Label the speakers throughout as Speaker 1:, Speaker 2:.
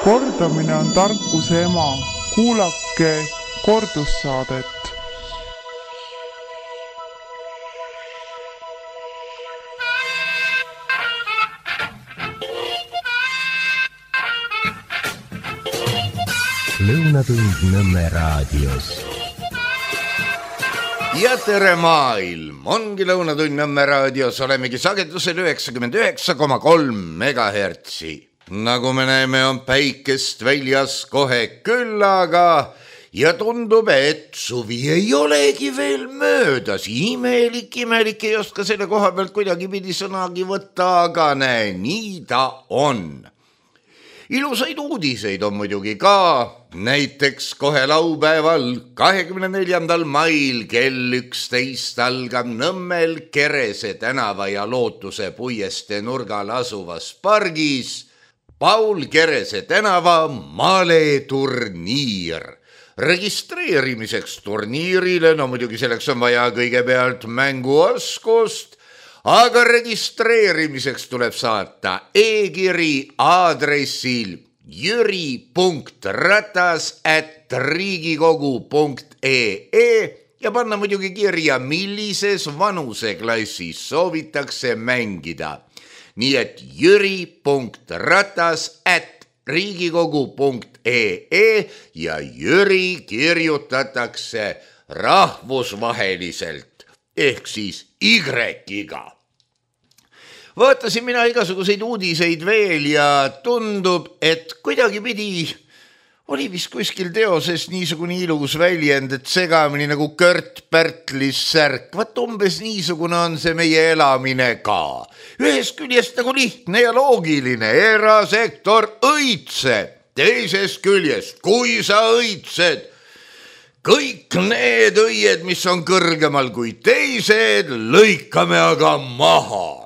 Speaker 1: Kordamine on tarkuse ema. Kuulake kordussaadet.
Speaker 2: Lõunatund Nõmme raadios.
Speaker 3: Ja tere maailm, ongi Lõunatund Nõmme raadios, olemegi sagedusel 99,3 megahertsi. Nagu me näeme, on päikest väljas kohe küllaga ja tundub, et suvi ei olegi veel möödas. Imelik, ei oska selle koha pealt kuidagi pidi sõnagi võtta, aga näe, nii ta on. Ilusaid uudiseid on muidugi ka, näiteks kohe laupäeval 24. mail kell 11 algab Nõmmel Kerese tänava ja Lootuse puiestee nurgal asuvas pargis Paul Kerese tänava maleturniir. Registreerimiseks turniirile, no muidugi selleks on vaja kõigepealt mänguoskust, aga registreerimiseks tuleb saata e-kiri aadressil jüri.ratas@riigikogu.ee ja panna muidugi kirja, millises vanuseklassis soovitakse mängida. Nii et jüri.ratas@riigikogu.ee ja Jüri kirjutatakse rahvusvaheliselt ehk siis Y-iga. Vaatasin mina igasuguseid uudiseid veel ja tundub, et kuidagi pidi oli vist kuskil teoses niisugune ilus väljend, et segamini nagu Kört Pärtlis särk. Vaat umbes niisugune on see meie elamine ka. Ühest küljest nagu lihtne ja loogiline, erasektor õitseb. Teisest küljest, kui sa õitsed, kõik need õied, mis on kõrgemal kui teised, lõikame aga maha.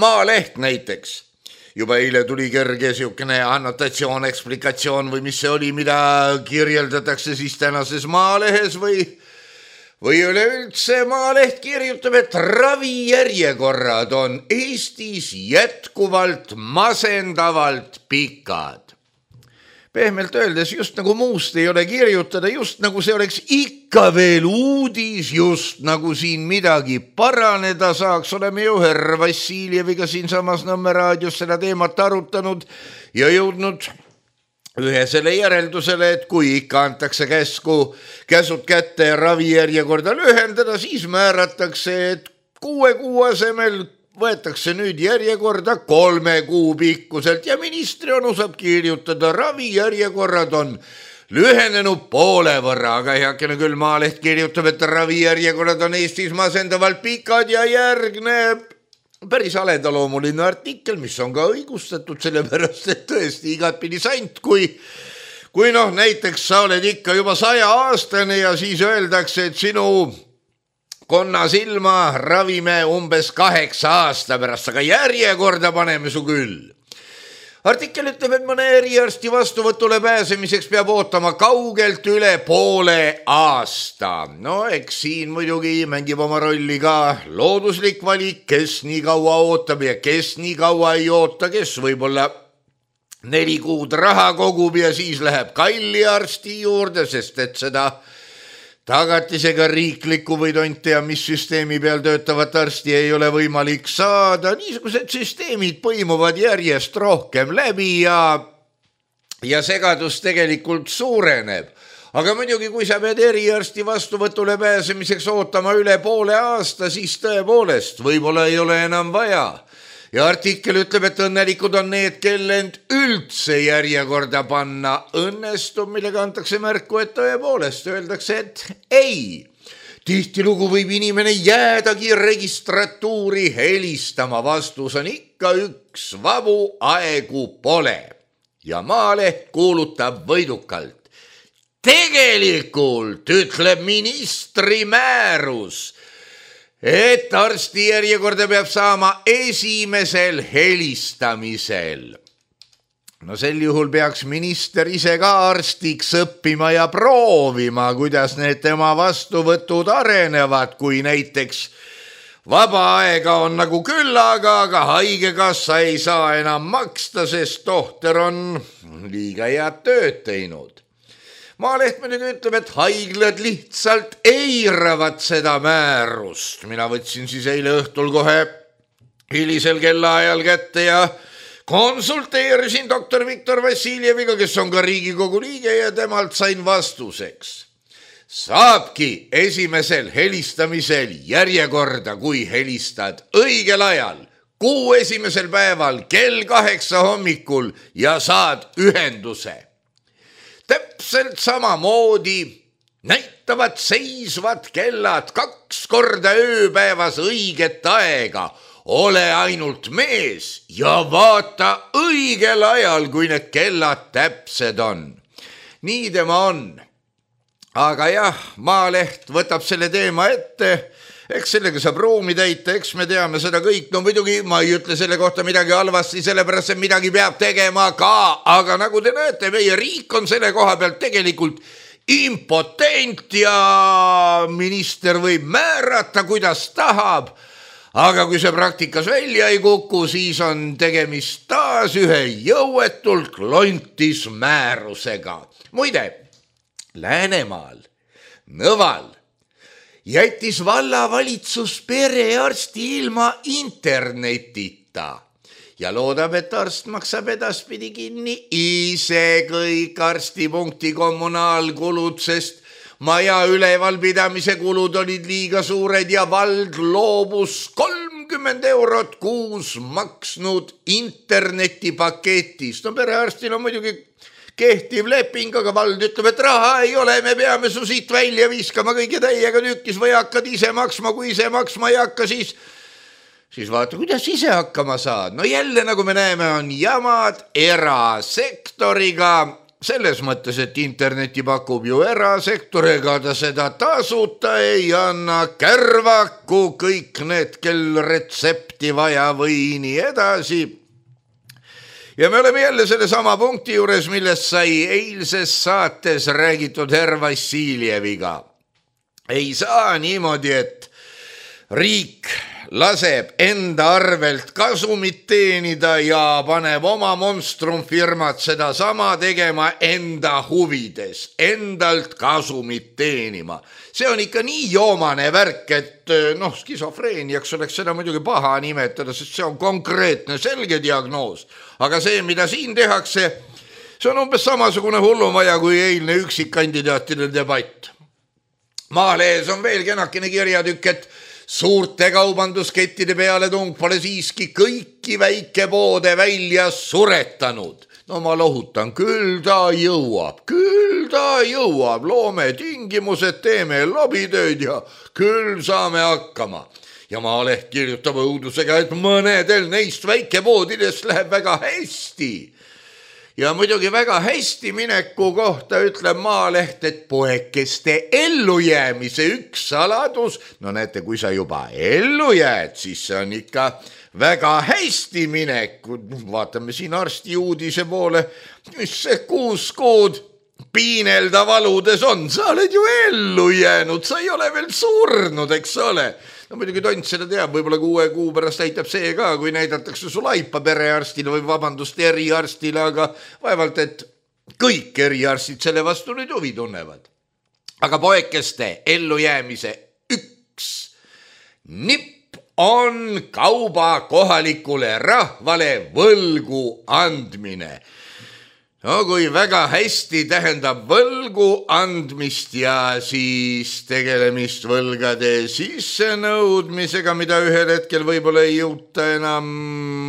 Speaker 3: Maaleht näiteks. Juba eile tuli kerge siukene annotatsioon, eksplikatsioon või mis see oli, mida kirjeldatakse siis tänases Maalehes või üleüldse Maaleht kirjutab, et ravijärjekorrad on Eestis jätkuvalt masendavalt pikad. Pehmelt öeldes, just nagu muust ei ole kirjutada, just nagu see oleks ikka veel uudis, just nagu siin midagi paraneda saaks. Oleme ju härra Vassiljeviga siin samas Nõmme raadios seda teemat arutanud ja jõudnud ühesele järeldusele, et kui ikka antakse käsud kätte ja ravijärjekorda lühendada, siis määratakse, et 6 kuu asemel võetakse nüüd järjekorda 3 kuu pikkuselt ja ministri onu saab kirjutada, ravijärjekorrad on lühenenud poole võrra, aga heakene küll Maaleht kirjutab, et ravijärjekorrad on Eestis masendavalt pikad ja järgneb päris aledaloomuline artikkel, mis on ka õigustatud, sellepärast et tõesti igatpidi sant, kui näiteks sa oled ikka juba 100-aastane ja siis öeldakse, et sinu konna silma ravime umbes 8 aasta pärast, aga järjekorda paneme su küll. Artikkel ütleb, et mõne eriarsti vastuvõtule pääsemiseks peab ootama kaugelt üle poole aasta. No eks siin muidugi mängib oma rolli ka looduslik valik, kes nii kaua ootab ja kes nii kaua ei oota, kes võib-olla 4 kuud raha kogub ja siis läheb kalli arsti juurde, sest et seda tagatisega riiklikku või tont tea, mis süsteemi peal töötavat arsti ei ole võimalik saada. Niisugused süsteemid põimuvad järjest rohkem läbi ja segadus tegelikult suureneb. Aga muidugi, kui sa pead eriarsti vastuvõtule pääsemiseks ootama üle poole aasta, siis tõepoolest võib-olla ei ole enam vaja. Ja artikkel ütleb, et õnnelikud on need, kellend üldse järjekorda panna õnnestub, millega antakse märku, et tõepoolest öeldakse, et ei. Tihtilugu võib inimene jäädagi registratuuri helistama, vastus on ikka üks, vabu aegu pole. Ja Maaleht kuulutab võidukalt. Tegelikult ütleb ministri määrus, et arsti järjekorda peab saama esimesel helistamisel. No sel juhul peaks minister ise ka arstiks õppima ja proovima, kuidas need tema vastuvõtud arenevad, kui näiteks vaba aega on nagu küllaga, aga haigekassa ei saa enam maksta, sest tohter on liiga head tööd teinud. Maaleht muidugi ütleb, et haiglad lihtsalt eiravad seda määrust. Mina võtsin siis eile õhtul kohe hilisel kellaajal kätte ja konsulteerisin doktor Viktor Vassiljeviga, kes on ka Riigikogu liige ja temalt sain vastuseks. Saabki esimesel helistamisel järjekorda, kui helistad õigel ajal, kuu esimesel päeval kell 8 hommikul ja saad ühenduse. Täpselt samamoodi näitavad seisvad kellad 2 korda ööpäevas õiget aega. Ole ainult mees ja vaata õigel ajal, kui need kellad täpsed on. Nii tema on. Aga jah, Maaleht võtab selle teema ette, eks sellega saab ruumi täita, eks me teame seda kõik. No muidugi ma ei ütle selle kohta midagi halvasti, sellepärast et midagi peab tegema ka, aga nagu te näete, meie riik on selle koha pealt tegelikult impotent ja minister võib määrata, kuidas tahab. Aga kui see praktikas välja ei kuku, siis on tegemist taas ühe jõuetult klontis määrusega. Muide, Läänemaal, Nõval jättis vallavalitsus perearsti ilma internetita ja loodab, et arst maksab edaspidi kinni ise kõik arstipunkti kommunaalkulud, sest maja ülevalpidamise kulud olid liiga suured ja vald loobus 30 eurot kuus maksnud internetipaketist. No perearstil on muidugi kehtiv leping, aga vald ütleb, et raha ei ole, me peame su siit välja viskama kõige täiega tükkis või hakkad ise maksma, kui ise maksma ei hakka, siis vaata, kuidas ise hakkama saad. No jälle, nagu me näeme, on jamad erasektoriga, selles mõttes, et interneti pakub ju erasektor, ega ta seda tasuta ei anna, kärvaku kõik need, kel retsepti vaja või nii edasi. Ja me oleme jälle selle sama punkti juures, millest sai eilses saates räägitud herr Vassiljeviga. Ei saa niimoodi, et riik laseb enda arvelt kasumit teenida ja paneb oma monstrumfirmad seda sama tegema enda huvides, endalt kasumit teenima. See on ikka nii joomane värk, et skisofreeniaks oleks seda muidugi paha nimetada, sest see on konkreetne, selge diagnoos. Aga see, mida siin tehakse, see on umbes samasugune hullumaja kui eilne üksikkandidaatide debatt. Maalehes on veel kenakene kirjatükk, et suurte kaubanduskettide peale tung pole siiski kõiki väikepoode välja suretanud. No ma lohutan, küll ta jõuab, loome tingimused, teeme lobitööd ja küll saame hakkama. Ja Maaleht kirjutab õudusega, et mõnedel neist väikepoodidest läheb väga hästi. Ja muidugi väga hästi mineku kohta ütleb Maaleht, et poekeste ellujäämise üks saladus, no näete, kui sa juba ellu jääd, siis see on ikka väga hästi mineku. Vaatame siin arsti uudise poole, mis see 6 kuud piinelda valudes on. Sa oled ju ellu jäänud, sa ei ole veel surnud, eks ole. No muidugi tont seda teab, võib-olla 6 kuu pärast näitab see ka, kui näidatakse su laipa perearstile või vabandust eriarstile, aga vaevalt, et kõik eriarstid selle vastu nüüd huvi tunnevad. Aga poekeste ellujäämise üks nipp on kauba kohalikule rahvale võlgu andmine. No kui väga hästi tähendab võlgu andmist ja siis tegelemist võlgade sissenõudmisega, mida ühel hetkel võib-olla ei jõuta enam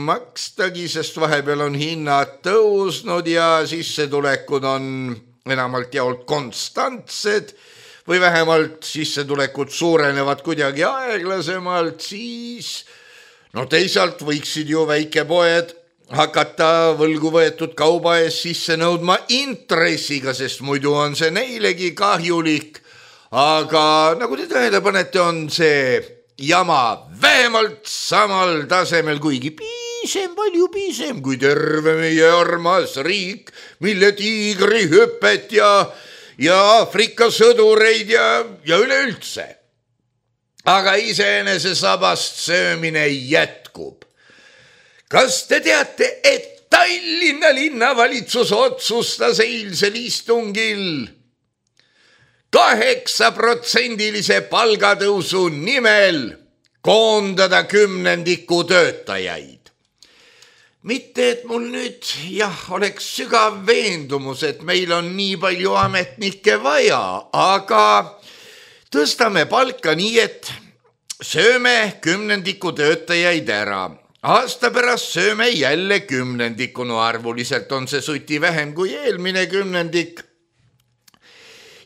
Speaker 3: makstagi, sest vahepeal on hinnad tõusnud ja sissetulekud on enamalt jaolt konstantsed või vähemalt sissetulekud suurenevad kuidagi aeglasemalt, siis teisalt võiksid ju väikepoed hakata võlgu võetud kauba ees sisse nõudma intressiga, sest muidu on see neilegi kahjulik. Aga nagu te tähele panete, on see jama vähemalt samal tasemel, kuigi palju piisem kui terve meie armas riik, mille tiigrihüpet ja Aafrika sõdureid ja üleüldse. Aga iseenese sabast söömine jätkub. Kas te teate, et ta Tallinna linnavalitsus otsustas eilsel istungil 8% palgatõusu nimel koondada 10% töötajaid. Mitte, et mul nüüd oleks sügav veendumus, et meil on nii palju ametnikke vaja, aga tõstame palka nii, et sööme 10% töötajaid ära. Aasta pärast sööme jälle 10%, no arvuliselt on see suti vähem kui eelmine 10%.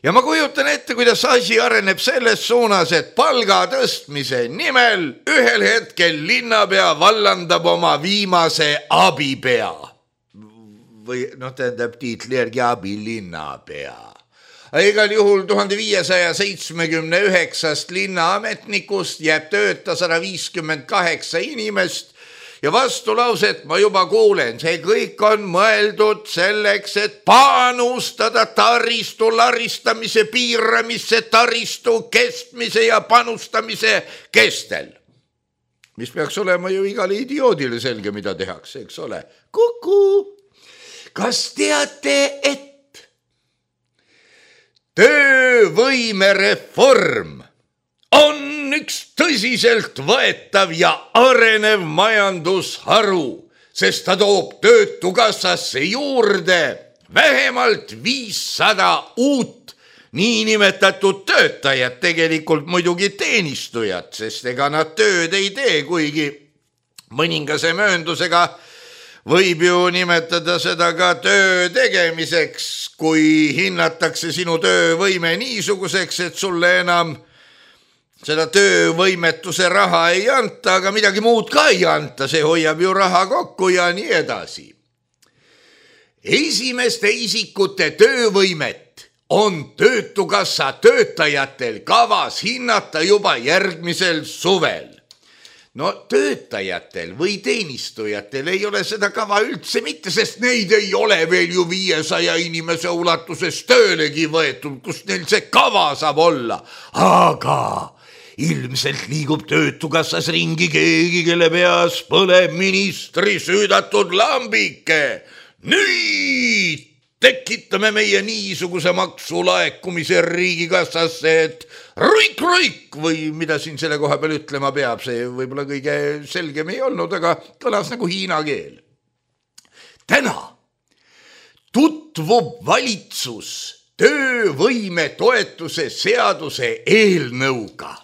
Speaker 3: Ja ma kujutan ette, kuidas asi areneb selles suunas, et palga tõstmise nimel ühel hetkel linnapea vallandab oma viimase abipea. Või tähendab tiitli järgi abilinnapea. Igal juhul 1579 linnaametnikust jääb tööta 158 inimest ja vastulauset ma juba kuulen. See kõik on mõeldud selleks, et panustada taristu laristamise piiramisse, taristu kestmise ja panustamise kestel. Mis peaks olema ju igale idioodile selge, mida tehakse, eks ole. Kuku! Kas teate, et töövõimereform on üks tõsiselt võetav ja arenev majandusharu, sest ta toob töötukassasse juurde vähemalt 500 uut niinimetatud töötajat, tegelikult muidugi teenistujat, sest ega nad tööd ei tee, kuigi mõningase mööndusega võib ju nimetada seda ka töö tegemiseks, kui hinnatakse sinu töövõime niisuguseks, et sulle enam seda töövõimetuse raha ei anta, aga midagi muud ka ei anta, see hoiab ju raha kokku ja nii edasi. Esimeste isikute töövõimet on töötukassa töötajatel kavas hinnata juba järgmisel suvel. No töötajatel või teenistujatel ei ole seda kava üldse mitte, sest neid ei ole veel ju 500 inimese ulatuses töölegi võetud, kus neil see kava saab olla. Aga ilmselt liigub töötukassas ringi keegi, kelle peas põleb ministri süüdatud lambike. Nüüd tekitame meie niisuguse maksulaekumise riigikassasse, et ruik või mida siin selle koha peal ütlema peab, see võib-olla kõige selgem ei olnud, aga kõlas nagu hiina keel. Täna tutvub valitsus töövõime toetuse seaduse eelnõuga.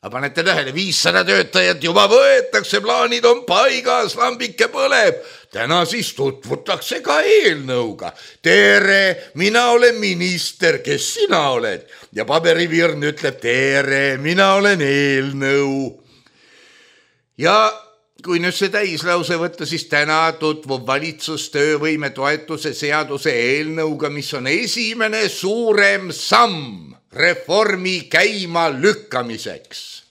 Speaker 3: Aga panete tähele, 500 töötajat juba võetakse, plaanid on paigas, lambike põleb. Täna siis tutvutakse ka eelnõuga. Tere, mina olen minister, kes sina oled? Ja paberivirn ütleb, tere, mina olen eelnõu. Ja kui nüüd see täislause võtta, siis täna tutvub valitsus töövõime toetuse seaduse eelnõuga, mis on esimene suurem samm reformi käima lükkamiseks.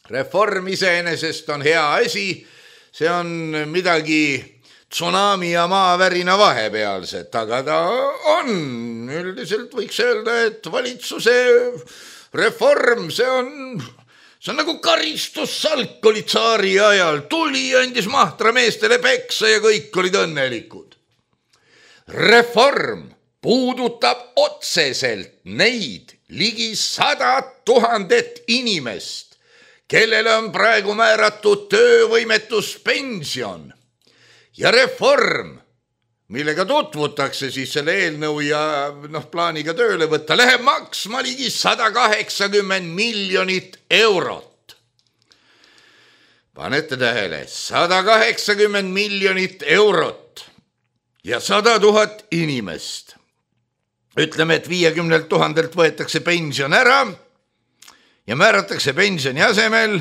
Speaker 3: Reform iseenesest on hea asi, see on midagi tsunami ja maavärina vahepealset, aga ta on, üldiselt võiks öelda, et valitsuse reform, see on nagu karistussalk oli tsaari ajal, tuli andis mahtrameestele peksa ja kõik olid õnnelikud. Reform puudutab otseselt neid ligi 100 000 inimest, kellele on praegu määratud töövõimetuspension ja reform, millega tutvutakse siis selle eelnõu ja plaaniga tööle võtta, läheb maksma ligi 180 miljonit eurot. Panete tähele, 180 miljonit eurot ja 100 000 inimest. Ütleme, et 50 000 võetakse pension ära ja määratakse pensioni asemel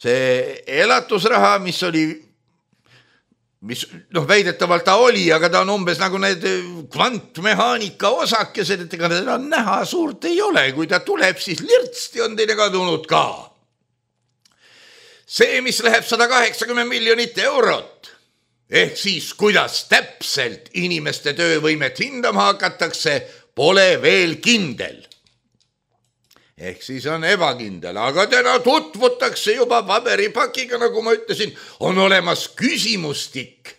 Speaker 3: see elatusraha, mis väidetavalt ta oli, aga ta on umbes nagu need kvantmehaanika osakesed, et ega teda näha suurt ei ole. Kui ta tuleb, siis lirtsti on teine kadunud ka. See, mis läheb 180 miljonit eurot, ehk siis kuidas täpselt inimeste töövõimet hindama hakatakse, pole veel kindel. Ehk siis on ebakindel, aga täna tutvutakse juba paberipakiga, nagu ma ütlesin, on olemas küsimustik,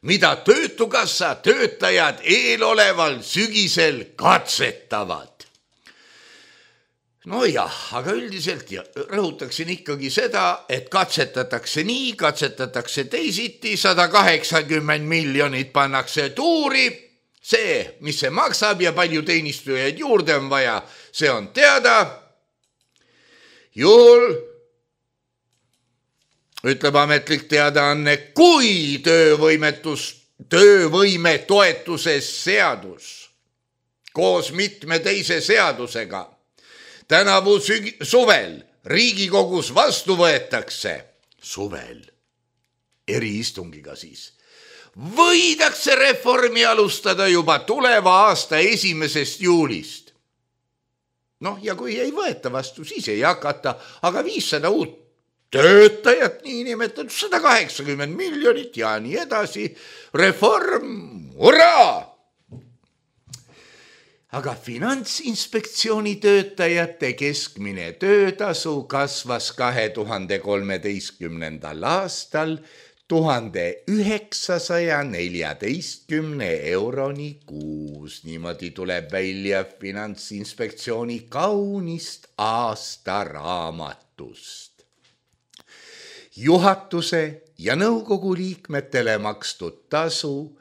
Speaker 3: mida Töötukassa töötajad eeloleval sügisel katsetavad. No jah, aga üldiselt rõhutaksin ikkagi seda, et katsetatakse nii, katsetatakse teisiti, 180 miljonit pannakse tuuri. See, mis see maksab ja palju teenistujaid juurde on vaja, see on teada. Juhul, ütleb ametlik teadaanne, kui töövõime toetuses seadus koos mitme teise seadusega tänavu suvel Riigikogus vastu võetakse, suvel, eriistungiga siis, võidakse reformi alustada juba tuleva aasta 1. juulist. Noh, ja kui ei võeta vastu, siis ei hakata, aga 500 uut töötajat, niinimetatud 180 miljonit ja nii edasi. Reform, uraa! Aga Finantsinspektsiooni töötajate keskmine töötasu kasvas 2013. aastal 1914 euroni kuus. Niimoodi tuleb välja Finantsinspektsiooni kaunist aastaraamatust. Juhatuse ja nõukogu liikmetele makstud tasu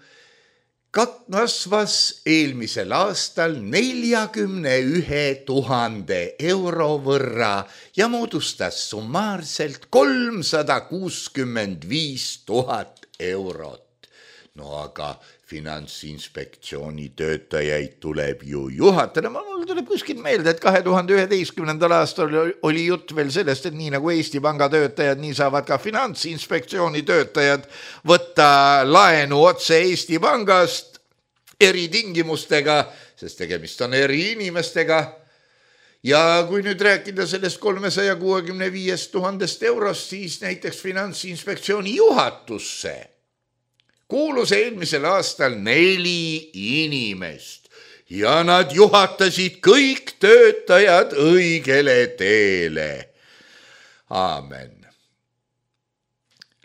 Speaker 3: kasvas eelmisel aastal 41 000 euro võrra ja moodustas summaarselt 365 000 eurot. No aga Finantsinspektsiooni töötajaid tuleb ju juhatada. Mul tuleb kuskilt meelde, et 2011. aastal oli jutt veel sellest, et nii nagu Eesti Panga töötajad, nii saavad ka Finantsinspektsiooni töötajad võtta laenu otse Eesti Pangast eritingimustega, sest tegemist on eri inimestega. Ja kui nüüd rääkida sellest 365 000 eurost, siis näiteks Finantsinspektsiooni juhatusse kuulus eelmisel aastal 4 inimest ja nad juhatasid kõik töötajad õigele teele. Aamen.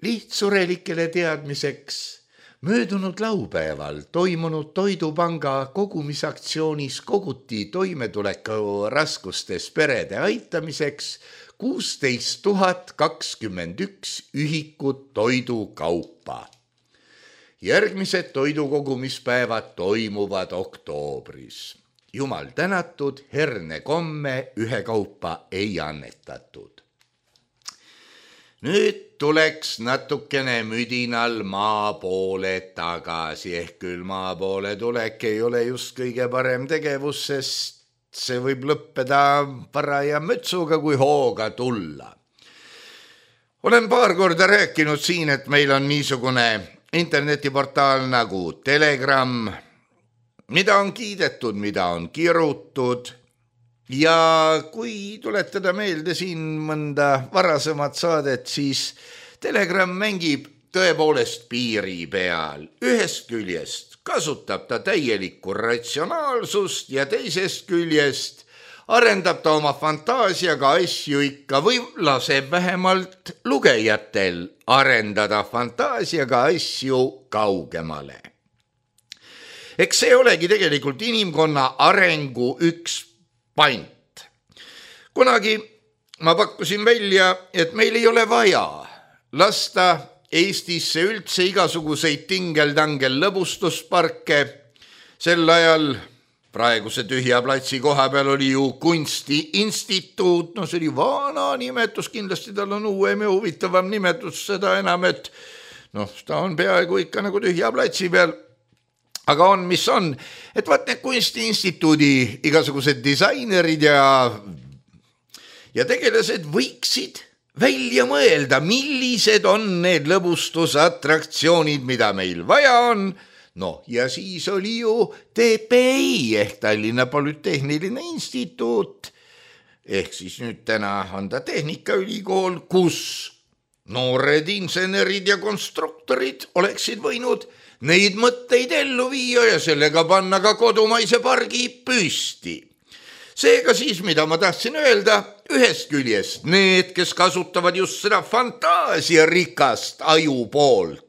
Speaker 3: Lihtsurelikele teadmiseks möödunud laupäeval toimunud Toidupanga kogumisaktsioonis koguti toimetuleku raskustes perede aitamiseks 16 021 ühikut toidukaupa. Järgmised toidukogumispäevad toimuvad oktoobris. Jumal tänatud, hernekomme ühekaupa ei annetatud. Nüüd tuleks natukene müdinal maa poole tagasi, ehk küll maa poole tulek ei ole just kõige parem tegevus, sest see võib lõppeda paraja mütsuga, kui hooga tulla. Olen paar korda rääkinud siin, et meil on niisugune internetiportaal nagu Telegram, mida on kiidetud, mida on kirutud ja kui tuletada meelde siin mõnda varasemat saadet, siis Telegram mängib tõepoolest piiri peal. Ühest küljest kasutab ta täielikku ratsionaalsust ja teisest küljest arendab ta oma fantaasiaga asju ikka või laseb vähemalt lugejatel arendada fantaasiaga asju kaugemale. Eks see olegi tegelikult inimkonna arengu üks pant. Kunagi ma pakkusin välja, et meil ei ole vaja lasta Eestisse üldse igasuguseid tingel-tangel lõbustusparke. Sel ajal praeguse tühja platsi koha peal oli ju kunstiinstituut, no see oli vana nimetus, kindlasti tal on uuem ja huvitavam nimetus, seda enam, et ta on peaaegu ikka nagu tühja platsi peal. Aga on, mis on, et vaat need kunstiinstituudi igasugused disainerid ja tegelased võiksid välja mõelda, millised on need lõbustusatraktsioonid, mida meil vaja on. No ja siis oli ju TPI ehk Tallinna Polütehniline Instituut, ehk siis nüüd täna on ta Tehnikaülikool, kus noored insenerid ja konstruktorid oleksid võinud neid mõtteid ellu viia ja sellega panna ka kodumaise pargi püsti. Seega siis, mida ma tahtsin öelda, ühest küljest need, kes kasutavad just seda fantaasiarikast aju poolt,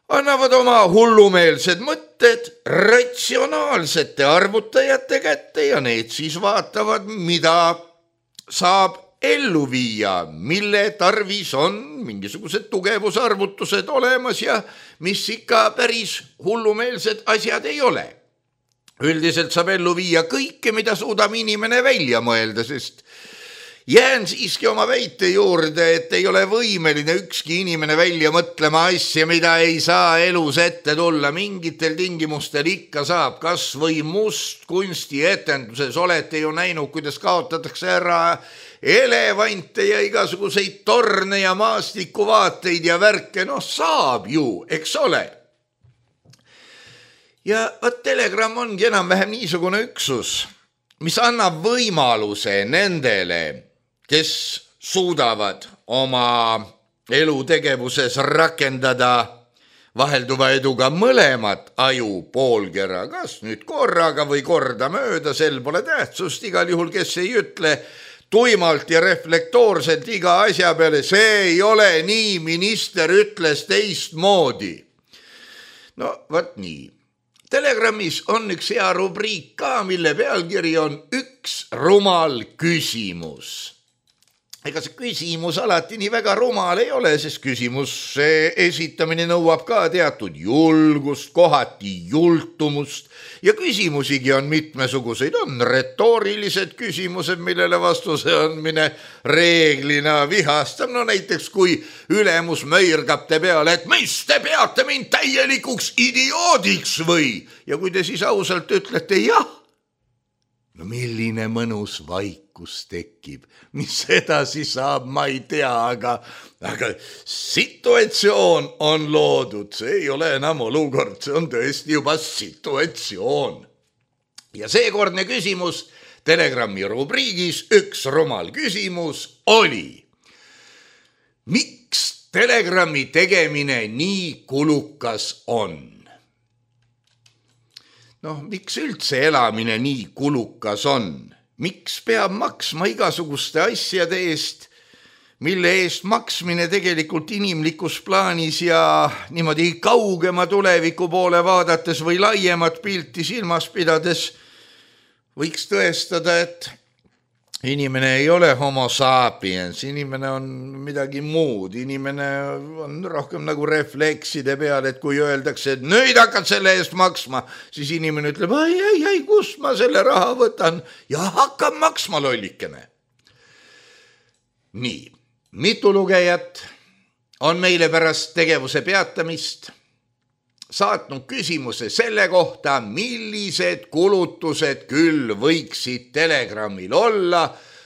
Speaker 3: annavad oma hullumeelsed mõtted ratsionaalsete arvutajate kätte ja need siis vaatavad, mida saab ellu viia, mille tarvis on mingisugused tugevusarvutused olemas ja mis ikka päris hullumeelsed asjad ei ole. Üldiselt saab ellu viia kõike, mida suudab inimene välja mõelda, sest jään siiski oma väite juurde, et ei ole võimeline ükski inimene välja mõtlema asja, mida ei saa elus ette tulla. Mingitel tingimustel ikka saab, kas või mustkunstietenduses olete ju näinud, kuidas kaotatakse ära elevante ja igasuguseid torne ja maastikuvaateid ja värke. No saab ju, eks ole. Ja Telegram ongi enam-vähem niisugune üksus, mis annab võimaluse nendele, kes suudavad oma elutegevuses rakendada vahelduva eduga mõlemat aju poolkera, kas nüüd korraga või kordamööda, sel pole tähtsust, igal juhul, kes ei ütle tuimalt ja reflektoorselt iga asja peale, see ei ole nii, minister ütles teistmoodi. No võt nii. Telegramis on üks hea rubriik ka, mille pealkiri on üks rumal küsimus. Ega see küsimus alati nii väga rumal ei ole, sest küsimuse esitamine nõuab ka teatud julgust, kohati jultumust ja küsimusigi on mitmesuguseid. On retoorilised küsimused, millele vastuse andmine reeglina vihastab. No näiteks kui ülemus möirgab te peale, et mis te peate mind täielikuks idioodiks või? Ja kui te siis ausalt ütlete jah, no milline mõnus vaikus tekib, mis edasi saab, ma ei tea, aga situatsioon on loodud, see ei ole enam olukord, see on tõesti juba situatsioon. Ja seekordne küsimus Telegrami rubriigis üks rumal küsimus oli: miks Telegrami tegemine nii kulukas on? Noh, miks üldse elamine nii kulukas on? Miks peab maksma igasuguste asjade eest, mille eest maksmine tegelikult inimlikus plaanis ja niimoodi kaugema tuleviku poole vaadates või laiemat pilti silmas pidades võiks tõestada, et inimene ei ole homo sapiens, inimene on midagi muud, inimene on rohkem nagu reflekside peal, et kui öeldakse, et nüüd hakkad selle eest maksma, siis inimene ütleb, ai, kust ma selle raha võtan ja hakkab maksma lollikene. Nii, mitu lugejat on meile pärast tegevuse peatamist saatnud küsimuse selle kohta, millised kulutused küll võiksid Telegramil olla,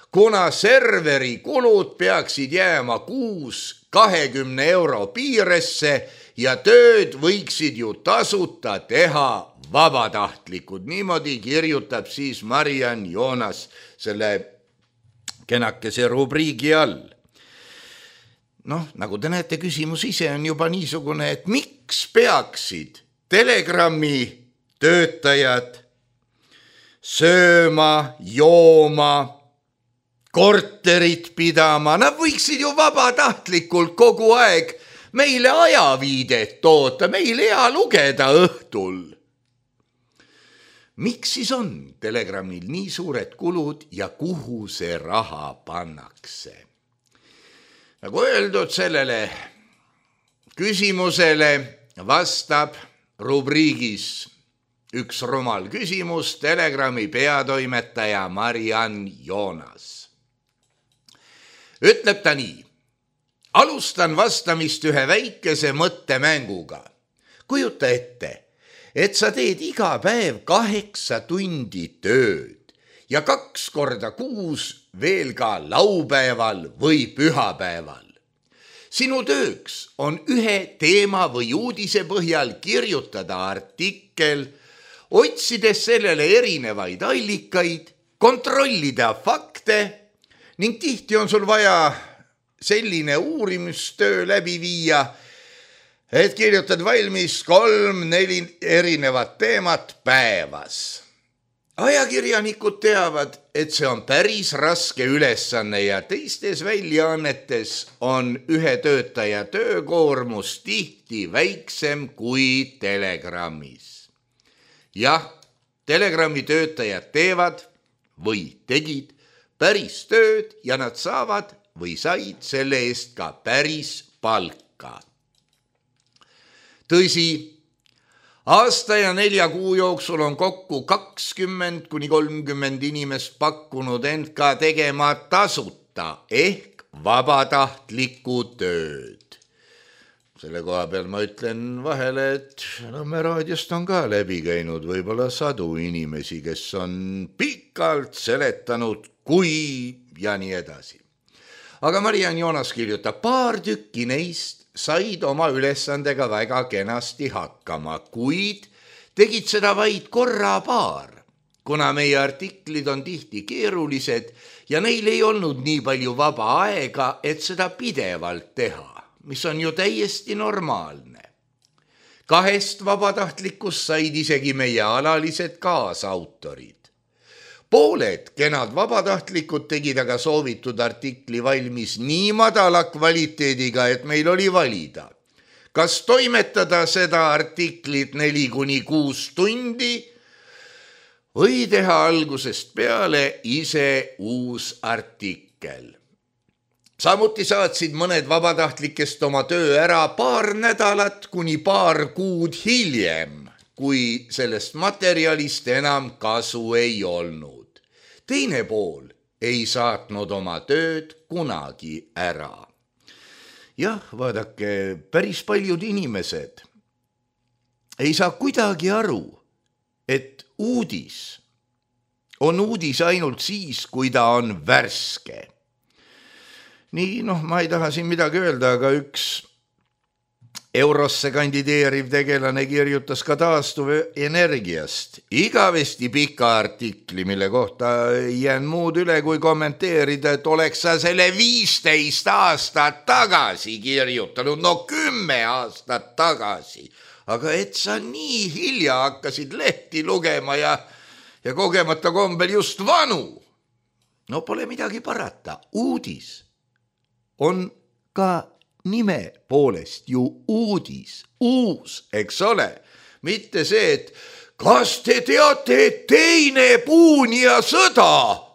Speaker 3: kuna serveri kulud peaksid jääma kuus 20 euro piiresse ja tööd võiksid ju tasuta teha vabatahtlikud. Niimoodi kirjutab siis Mariann Joonas selle kenakese rubriigi all. Noh, nagu te näete, küsimus ise on juba niisugune, et miks peaksid Telegrami töötajad sööma, jooma, korterit pidama, nad võiksid ju vabatahtlikult kogu aeg meile ajaviidet toota, meil hea lugeda õhtul. Miks siis on Telegramil nii suured kulud ja kuhu see raha pannakse? Nagu öeldud, sellele küsimusele vastab rubriigis üks rumal küsimus Telegrami peatoimetaja Mariann Joonas. Ütleb ta nii: alustan vastamist ühe väikese mõttemänguga. Kujuta ette, et sa teed iga päev 8 tundi tööd ja 2 korda kuus veel ka laupäeval või pühapäeval. Sinu tööks on ühe teema või uudise põhjal kirjutada artikkel, otsides sellele erinevaid allikaid, kontrollida fakte ning tihti on sul vaja selline uurimistöö läbi viia, et kirjutad valmis 3-4 erinevat teemat päevas. ajakirjanikud teavad, et see on päris raske ülesanne ja teistes väljaannetes on ühe töötaja töökoormus tihti väiksem kui Telegrammis. Jah, Telegrami töötajad teevad või tegid päris tööd ja nad saavad või said selle eest ka päris palka. Tõsi, aasta ja 4 kuu jooksul on kokku 20–30 inimest pakkunud end ka tegema tasuta ehk vabatahtlikku tööd. Selle koha peal ma ütlen vahele, et Nõmme raadiost on ka läbi käinud võib-olla 100 inimesi, kes on pikalt seletanud, kui ja nii edasi. Aga Mariann Joonas kirjutab, paar tükki neist said oma ülesandega väga kenasti hakkama, kuid tegid seda vaid korra paar, kuna meie artiklid on tihti keerulised ja neil ei olnud nii palju vaba aega, et seda pidevalt teha, mis on ju täiesti normaalne. 2 vabatahtlikust said isegi meie alalised kaasautorid. Pooled kenad vabatahtlikud tegid aga soovitud artikli valmis nii madala kvaliteediga, et meil oli valida. Kas toimetada seda artiklit 4–6 tundi või teha algusest peale ise uus artikkel. Samuti saatsid mõned vabatahtlikest oma töö ära paar nädalat kuni paar kuud hiljem, kui sellest materjalist enam kasu ei olnud. Teine pool ei saatnud oma tööd kunagi ära. Jah, vaadake, päris paljud inimesed ei saa kuidagi aru, et uudis on uudis ainult siis, kui ta on värske. Nii, ma ei taha siin midagi öelda, aga üks Eurosse kandideeriv tegelane kirjutas ka taastuvenergiast igavesti pika artikli, mille kohta ei jään muud üle kui kommenteerida, et oleks sa selle 15 aastat tagasi kirjutanud, 10 aastat tagasi, aga et sa nii hilja hakkasid lehti lugema ja kogemata kombel just vanu. No pole midagi parata, uudis on ka nime poolest ju uudis, uus, eks ole, mitte see, et kas te teate, et teine puunija sõda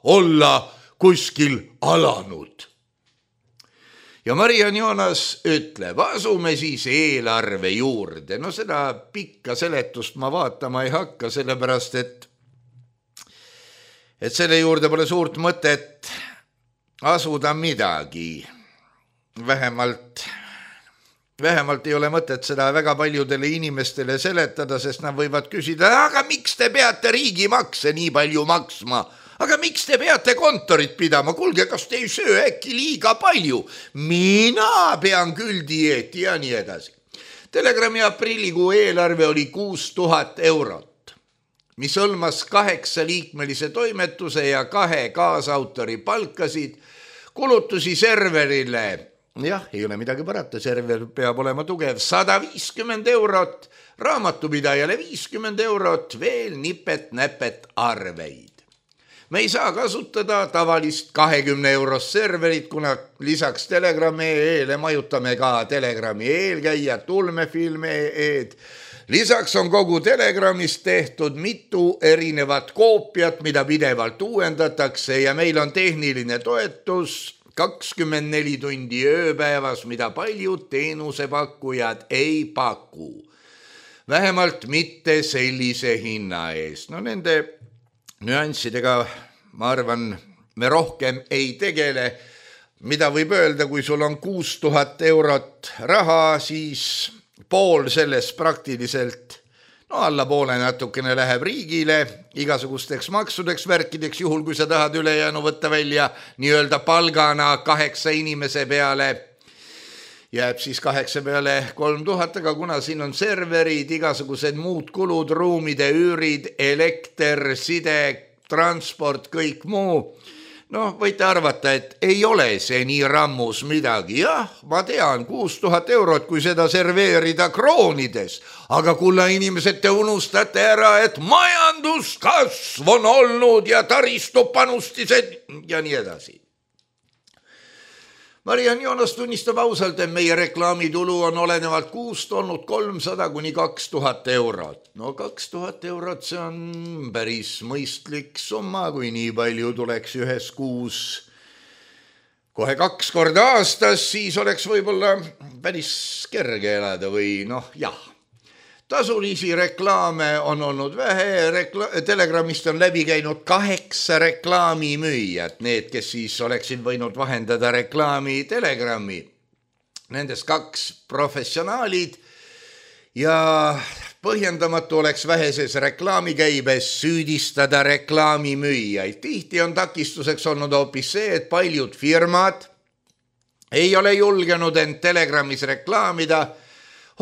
Speaker 3: olla kuskil alanud. Ja Mariann Joonas ütleb, asume siis eelarve juurde. No seda pikka seletust ma vaatama ei hakka, sellepärast, et selle juurde pole suurt mõtet asuda midagi. Vähemalt ei ole mõtet seda väga paljudele inimestele seletada, sest nad võivad küsida, aga miks te peate riigimakse nii palju maksma? Aga miks te peate kontorit pidama? Kuulge, kas te ei söö äkki liiga palju? Mina pean küll dieeti ja nii edasi. Telegrami aprillikuu eelarve oli 6000 eurot, mis hõlmas 8-liikmelise toimetuse ja 2 kaasautori palkasid, kulutusi serverile. Jah, ei ole midagi parata, server peab olema tugev, 150 eurot, raamatupidajale 50 eurot, veel nipet-näpet arveid. Me ei saa kasutada tavalist 20 eurost serverit, kuna lisaks Telegram.ee-le majutame ka Telegrami eelkäijad, ulmefilm.ee-d. Lisaks on kogu Telegramist tehtud mitu erinevat koopiat, mida pidevalt uuendatakse ja meil on tehniline toetus 24 tundi ööpäevas, mida paljud teenusepakkujad ei paku. Vähemalt mitte sellise hinna eest. No nende nüanssidega, ma arvan, me rohkem ei tegele. Mida võib öelda, kui sul on 6000 eurot raha, siis pool sellest praktiliselt, alla poole natukene läheb riigile, igasugusteks maksudeks, värkideks, juhul kui sa tahad ülejäänu võtta välja nii-öelda palgana 8 inimese peale, jääb siis 8 peale 3000, aga kuna siin on serverid, igasugused muud kulud, ruumide üürid, elekter, side, transport, kõik muu, Noh, võite arvata, et ei ole see nii rammus midagi. Jah, ma tean, 6000 eurot, kui seda serveerida kroonides. Aga kulla inimesed, te unustate ära, et majanduskasv on olnud ja taristupanustised ja nii edasi. Mariann Joonas tunnistab ausalt, et meie reklaamitulu on olenevalt kuust olnud 300 kuni 2000 eurot. No 2000 eurot, see on päris mõistlik summa, kui nii palju tuleks ühes kuus kohe 2 korda aastas, siis oleks võib-olla päris kerge elada või jah. Tasulisi reklaame on olnud vähe, Telegramist on läbi käinud 8 reklaamimüüjad, need, kes siis oleksid võinud vahendada reklaami Telegrami. Nendest 2 professionaalid ja põhjendamatu oleks väheses reklaamikäibes süüdistada reklaamimüüjaid. Tihti on takistuseks olnud hoopis see, et paljud firmad ei ole julgenud end Telegramis reklaamida,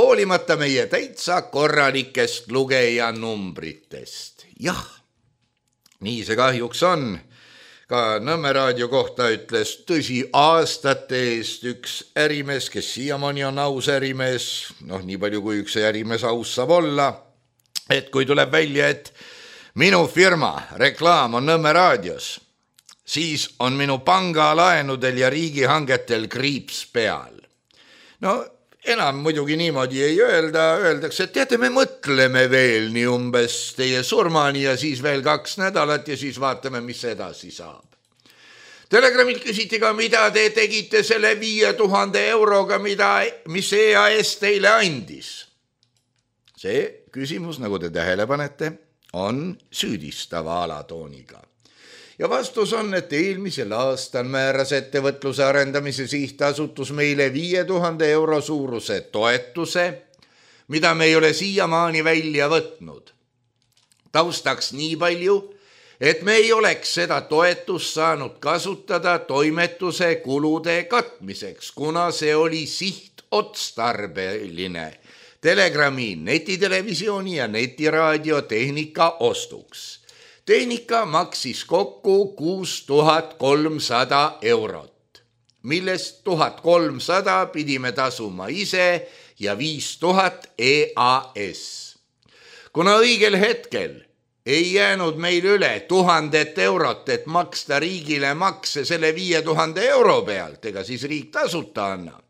Speaker 3: hoolimata meie täitsa korralikest lugejanumbritest. Jah, nii see kahjuks on. Ka Nõmme raadio kohta ütles tõsi aastate eest üks ärimees, kes siiamaani on aus ärimees, nii palju kui üks ärimees aus saab olla, et kui tuleb välja, et minu firma reklaam on Nõmme raadios, siis on minu pangalaenudel ja riigihangetel kriips peal. Enam muidugi niimoodi ei öeldakse, et teate, me mõtleme veel nii umbes teie surmani ja siis veel 2 nädalat ja siis vaatame, mis edasi saab. Telegramilt küsiti ka, mida te tegite selle 5000 euroga, mis EAS teile andis. See küsimus, nagu te tähele panete, on süüdistava alatooniga. Ja vastus on, et eelmisel aastal määras ettevõtluse arendamise sihtasutus meile 5000 euro suuruse toetuse, mida me ei ole siiamaani välja võtnud. Taustaks nii palju, et me ei oleks seda toetust saanud kasutada toimetuse kulude katmiseks, kuna see oli sihtotstarbeline Telegrami netitelevisiooni ja netiraadio tehnika ostuks. Tehnika maksis kokku 6300 eurot, millest 1300 pidime tasuma ise ja 5000 EAS. Kuna õigel hetkel ei jäänud meil üle 1000 eurot, et maksta riigile makse selle 5000 euro pealt, ega siis riik tasuta annab,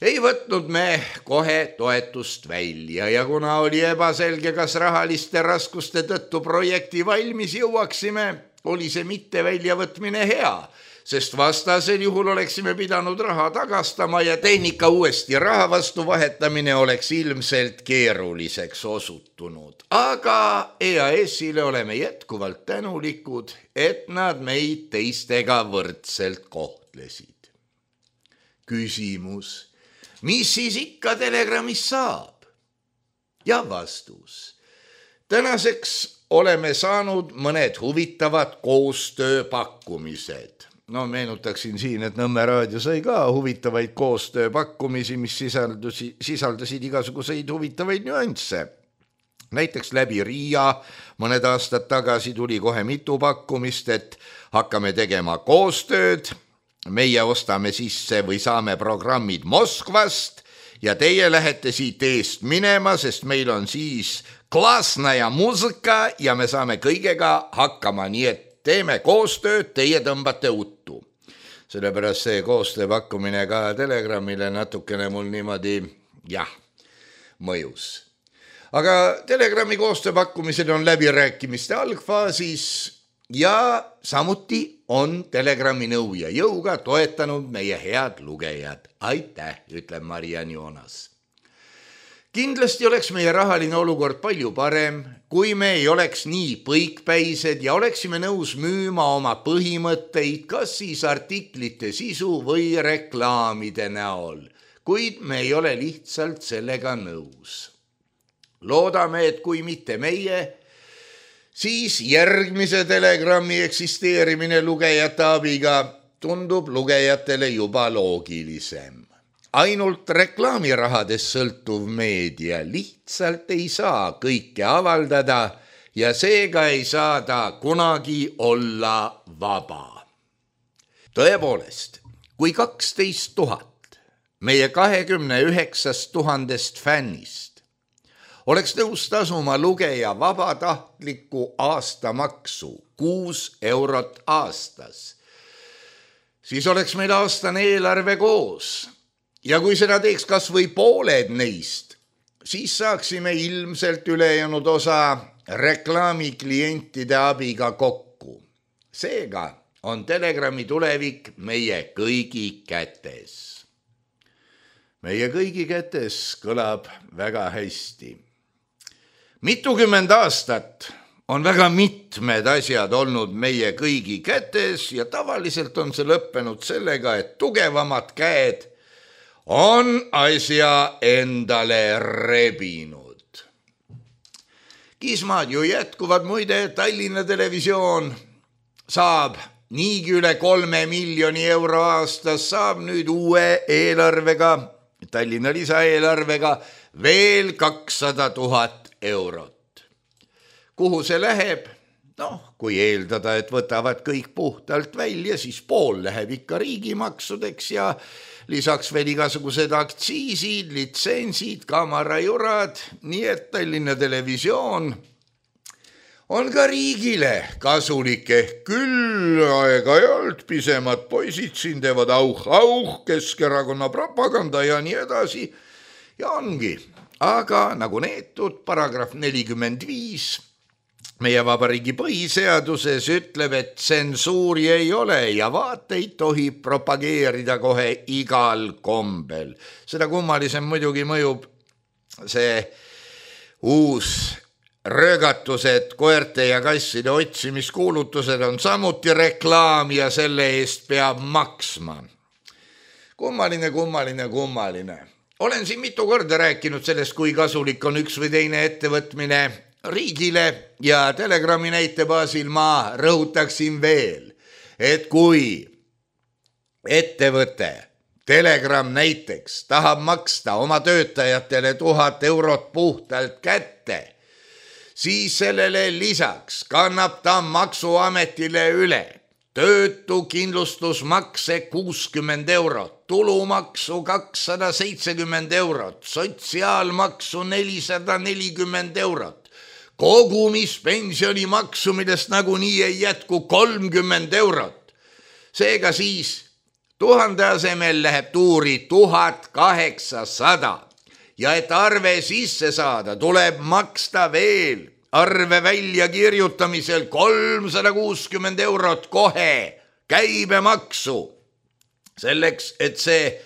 Speaker 3: ei võtnud me kohe toetust välja ja kuna oli ebaselge, kas rahaliste raskuste tõttu projekti valmis jõuaksime, oli see mitte väljavõtmine hea, sest vastasel juhul oleksime pidanud raha tagastama ja tehnika uuesti raha vastu vahetamine oleks ilmselt keeruliseks osutunud. Aga EAS-ile oleme jätkuvalt tänulikud, et nad meid teistega võrdselt kohtlesid. Küsimus. Mis siis ikka Telegramis saab? Ja vastus. Tänaseks oleme saanud mõned huvitavad koostööpakkumised. Meenutaksin siin, et Nõmme raadio sai ka huvitavaid koostööpakkumisi, mis sisaldasid igasuguseid huvitavaid nüansse. Näiteks läbi Riia mõned aastad tagasi tuli kohe mitu pakkumist, et hakkame tegema koostööd. Meie ostame sisse või saame programmid Moskvast ja teie lähete siit eest minema, sest meil on siis klasna ja muusika ja me saame kõigega hakkama, nii et teeme koostööd, teie tõmbate uttu. Sellepärast see koostööpakkumine ka Telegramile natukene mul niimoodi, mõjus. Aga Telegrami koostööpakkumised on läbirääkimiste algfaasis ja samuti on Telegrami nõu ja jõuga toetanud meie head lugejad. Aitäh, ütleb Mariann Joonas. Kindlasti oleks meie rahaline olukord palju parem, kui me ei oleks nii põikpäised ja oleksime nõus müüma oma põhimõtteid, kas siis artiklite sisu või reklaamide näol, kuid me ei ole lihtsalt sellega nõus. Loodame, et kui mitte meie, siis järgmise Telegrami eksisteerimine lugejate abiga tundub lugejatele juba loogilisem. Ainult reklaamirahadest sõltuv meedia lihtsalt ei saa kõike avaldada ja seega ei saa ta kunagi olla vaba. tõepoolest, kui 12 000 meie 29 000 fännist oleks nõus tasuma lugeja vabatahtliku aastamaksu 6 eurot aastas, siis oleks meil aastane eelarve koos. Ja kui seda teeks kas või pooled neist, siis saaksime ilmselt ülejäänud osa reklaamiklientide abiga kokku. Seega on Telegrami tulevik meie kõigi kätes. Meie kõigi kätes kõlab väga hästi. Mitukümmend aastat on väga mitmed asjad olnud meie kõigi kätes ja tavaliselt on see lõppenud sellega, et tugevamad käed on asja endale rebinud. Kismad ju jätkuvad, muide, Tallinna Televisioon saab niigi üle 3 miljoni euro aastas, saab nüüd uue eelarvega, Tallinna lisaeelarvega veel 200 000 eurot. Kuhu see läheb? Kui eeldada, et võtavad kõik puhtalt välja, siis pool läheb ikka riigimaksudeks ja lisaks veel igasugused aktsiisid, litsentsid, kamarajurad, nii et Tallinna Televisioon on ka riigile kasulik, küll aeg-ajalt pisemad poisid siin teevad auh, Keskerakonna propaganda ja nii edasi. Ja ongi, aga nagu neetud paragrahv 45 meie vabariigi põhiseaduses ütleb, et tsensuuri ei ole ja vaateid tohib propageerida kohe igal kombel. Seda kummalisem muidugi mõjub see uus röögatused, koerte ja kasside otsimiskuulutused on samuti reklaam ja selle eest peab maksma. Kummaline. Olen siin mitu korda rääkinud sellest, kui kasulik on üks või teine ettevõtmine riigile ja Telegrami näite baasil ma rõhutaksin veel, et kui ettevõte Telegram näiteks tahab maksta oma töötajatele 1000 eurot puhtalt kätte, siis sellele lisaks kannab ta maksuametile üle töötukindlustusmakse 60 eurot, tulumaksu 270 eurot, sotsiaalmaksu 440 eurot, kogumispensioni maksu, millest nagunii ei jätku 30 eurot. Seega siis 1000 asemel läheb tuuri 1800 ja et arve sisse saada, tuleb maksta veel arve välja kirjutamisel 360 eurot kohe käibemaksu. Selleks, et see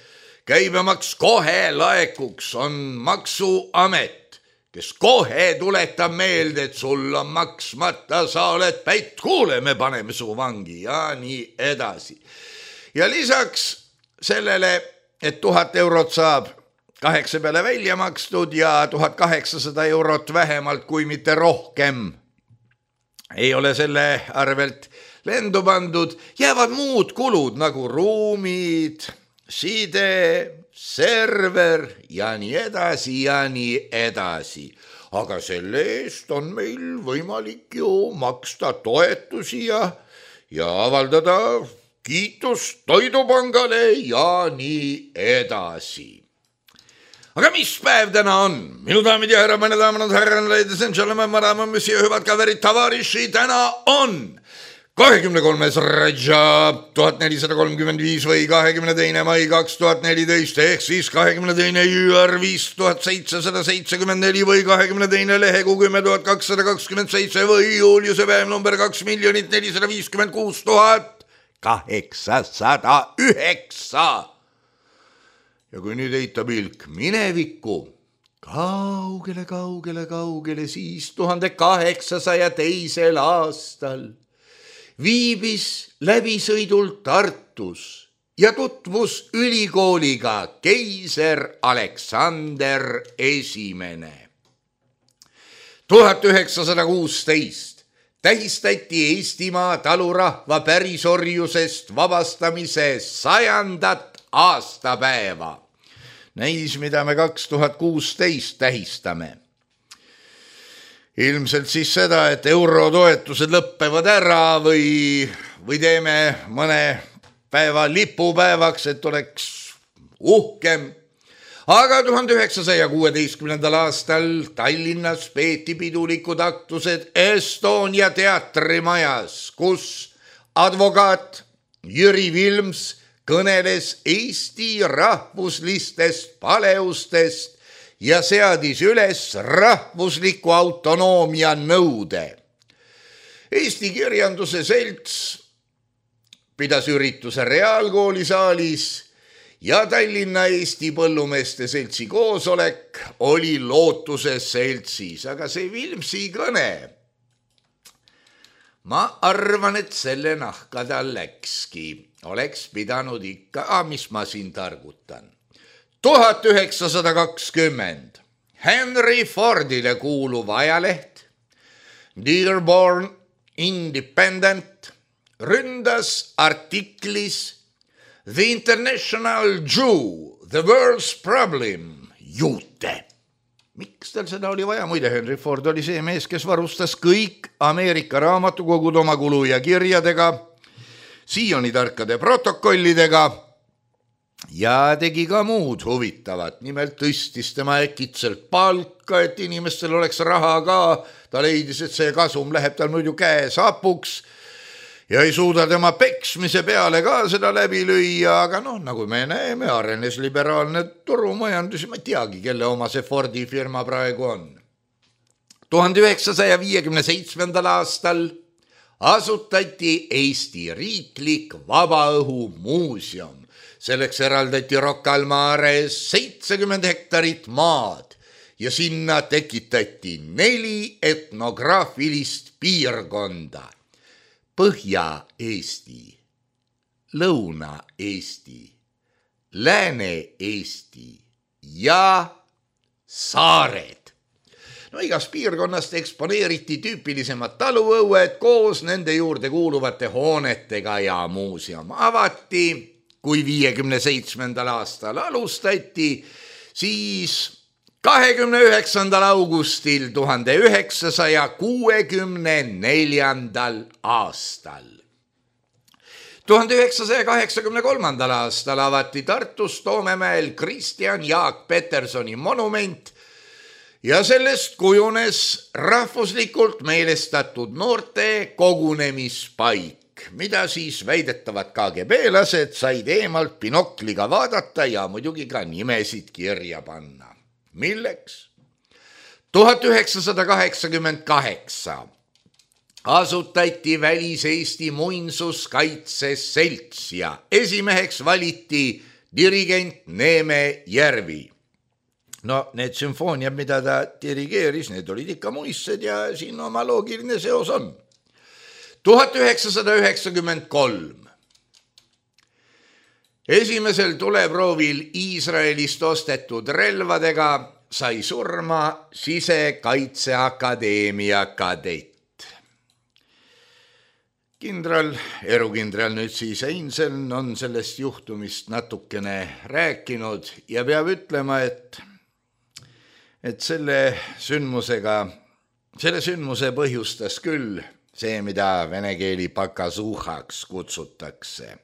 Speaker 3: käibemaks kohe laekuks, on maksuamet, kes kohe tuletab meelde, et sul on maksmata, sa oled pätt, kuule, me paneme su vangi ja nii edasi. Ja lisaks sellele, et 1000 eurot saab 8 peale välja makstud ja 1800 eurot vähemalt, kui mitte rohkem, ei ole selle arvelt lendu pandud, jäävad muud kulud nagu ruumid, side, server ja nii edasi. Aga selle eest on meil võimalik ju maksta toetusi ja avaldada kiitust Toidupangale ja nii edasi. Aga mis päev täna on? Minu daamid ja härra, meine daamad, härran, ladies and gentlemen, madame, monsieur, hüvad kaverid, tavariši, täna on 23. Rajab 1435 või 22. mai 2014 ehk siis 22. jüür 5774 või 22. lehekuu 10227 või Juliuse päev number 2 456 809. Ja kui nüüd heita pilk minevikku, kaugele, siis 1802. aastal viibis läbisõidul Tartus ja tutvus ülikooliga keiser Aleksander I. 1916 tähistati Eestimaa talurahva pärisorjusest vabastamise 100. aastapäeva. Näis, mida me 2016 tähistame. Ilmselt siis seda, et eurotoetused lõppevad ära või teeme mõne päeva lipupäevaks, et oleks uhkem. Aga 1916. aastal Tallinnas peeti pidulikud aktused Estonia teatrimajas, kus advokaat Jüri Vilms kõneles Eesti rahvuslistest paleustest ja seadis üles rahvusliku autonoomia nõude. Eesti Kirjanduse Selts pidas ürituse Reaalkooli saalis ja Tallinna Eesti Põllumeeste Seltsi koosolek oli Lootuse seltsis, aga see Vilmsi kõne, ma arvan, et selle nahka tal läkski, oleks pidanud ikka, mis ma siin targutan. 1920 Henry Fordile kuuluv ajaleht Dearborn Independent ründas artiklis The International Jew, the World's Problem, juute. Miks tal seda oli vaja? Muide, Henry Ford oli see mees, kes varustas kõik Ameerika raamatukogud oma kulu ja kirjadega, Sioni tarkade protokollidega ja tegi ka muud huvitavat. Nimelt tõstis tema äkitselt palka, et inimestel oleks raha ka. Ta leidis, et see kasum läheb tal muidu käes hapuks ja ei suuda tema peksmise peale ka seda läbi lüüa, aga nagu me näeme, arenes liberaalne turumajandus ja ma ei teagi, kelle oma see Fordi firma praegu on. 1957. aastal asutati Eesti riiklik vabaõhumuuseum. Selleks eraldati Rocca al Mares 70 hektarit maad ja sinna tekitati 4 etnograafilist piirkonda. Põhja-Eesti, Lõuna-Eesti, Lääne-Eesti ja saared. Igas piirkonnast eksponeeriti tüüpilisemad taluõued koos nende juurde kuuluvate hoonetega ja muuseum avati. Kui 57. aastal alustati, siis 29. augustil 1964. aastal. 1983. aastal avati Tartus Toomemäel Kristjan Jaak Petersoni monument ja sellest kujunes rahvuslikult meelestatud noorte kogunemispaik, mida siis väidetavad KGB-lased said eemalt binokliga vaadata ja muidugi ka nimesid kirja panna. Milleks? 1988 asutati Välis-Eesti Muinsuskaitse Selts ja esimeheks valiti dirigent Neeme Järvi. Need sümfooniad, mida ta dirigeeris, need olid ikka muistsed ja siin oma loogiline seos on. 1993 esimesel tuleproovil Iisraelist ostetud relvadega sai surma Sisekaitseakadeemia kadett. Erukindral nüüd siis Einsel on sellest juhtumist natukene rääkinud ja peab ütlema, et selle sündmuse põhjustas küll see, mida vene keeli pakasuhaks kutsutakse,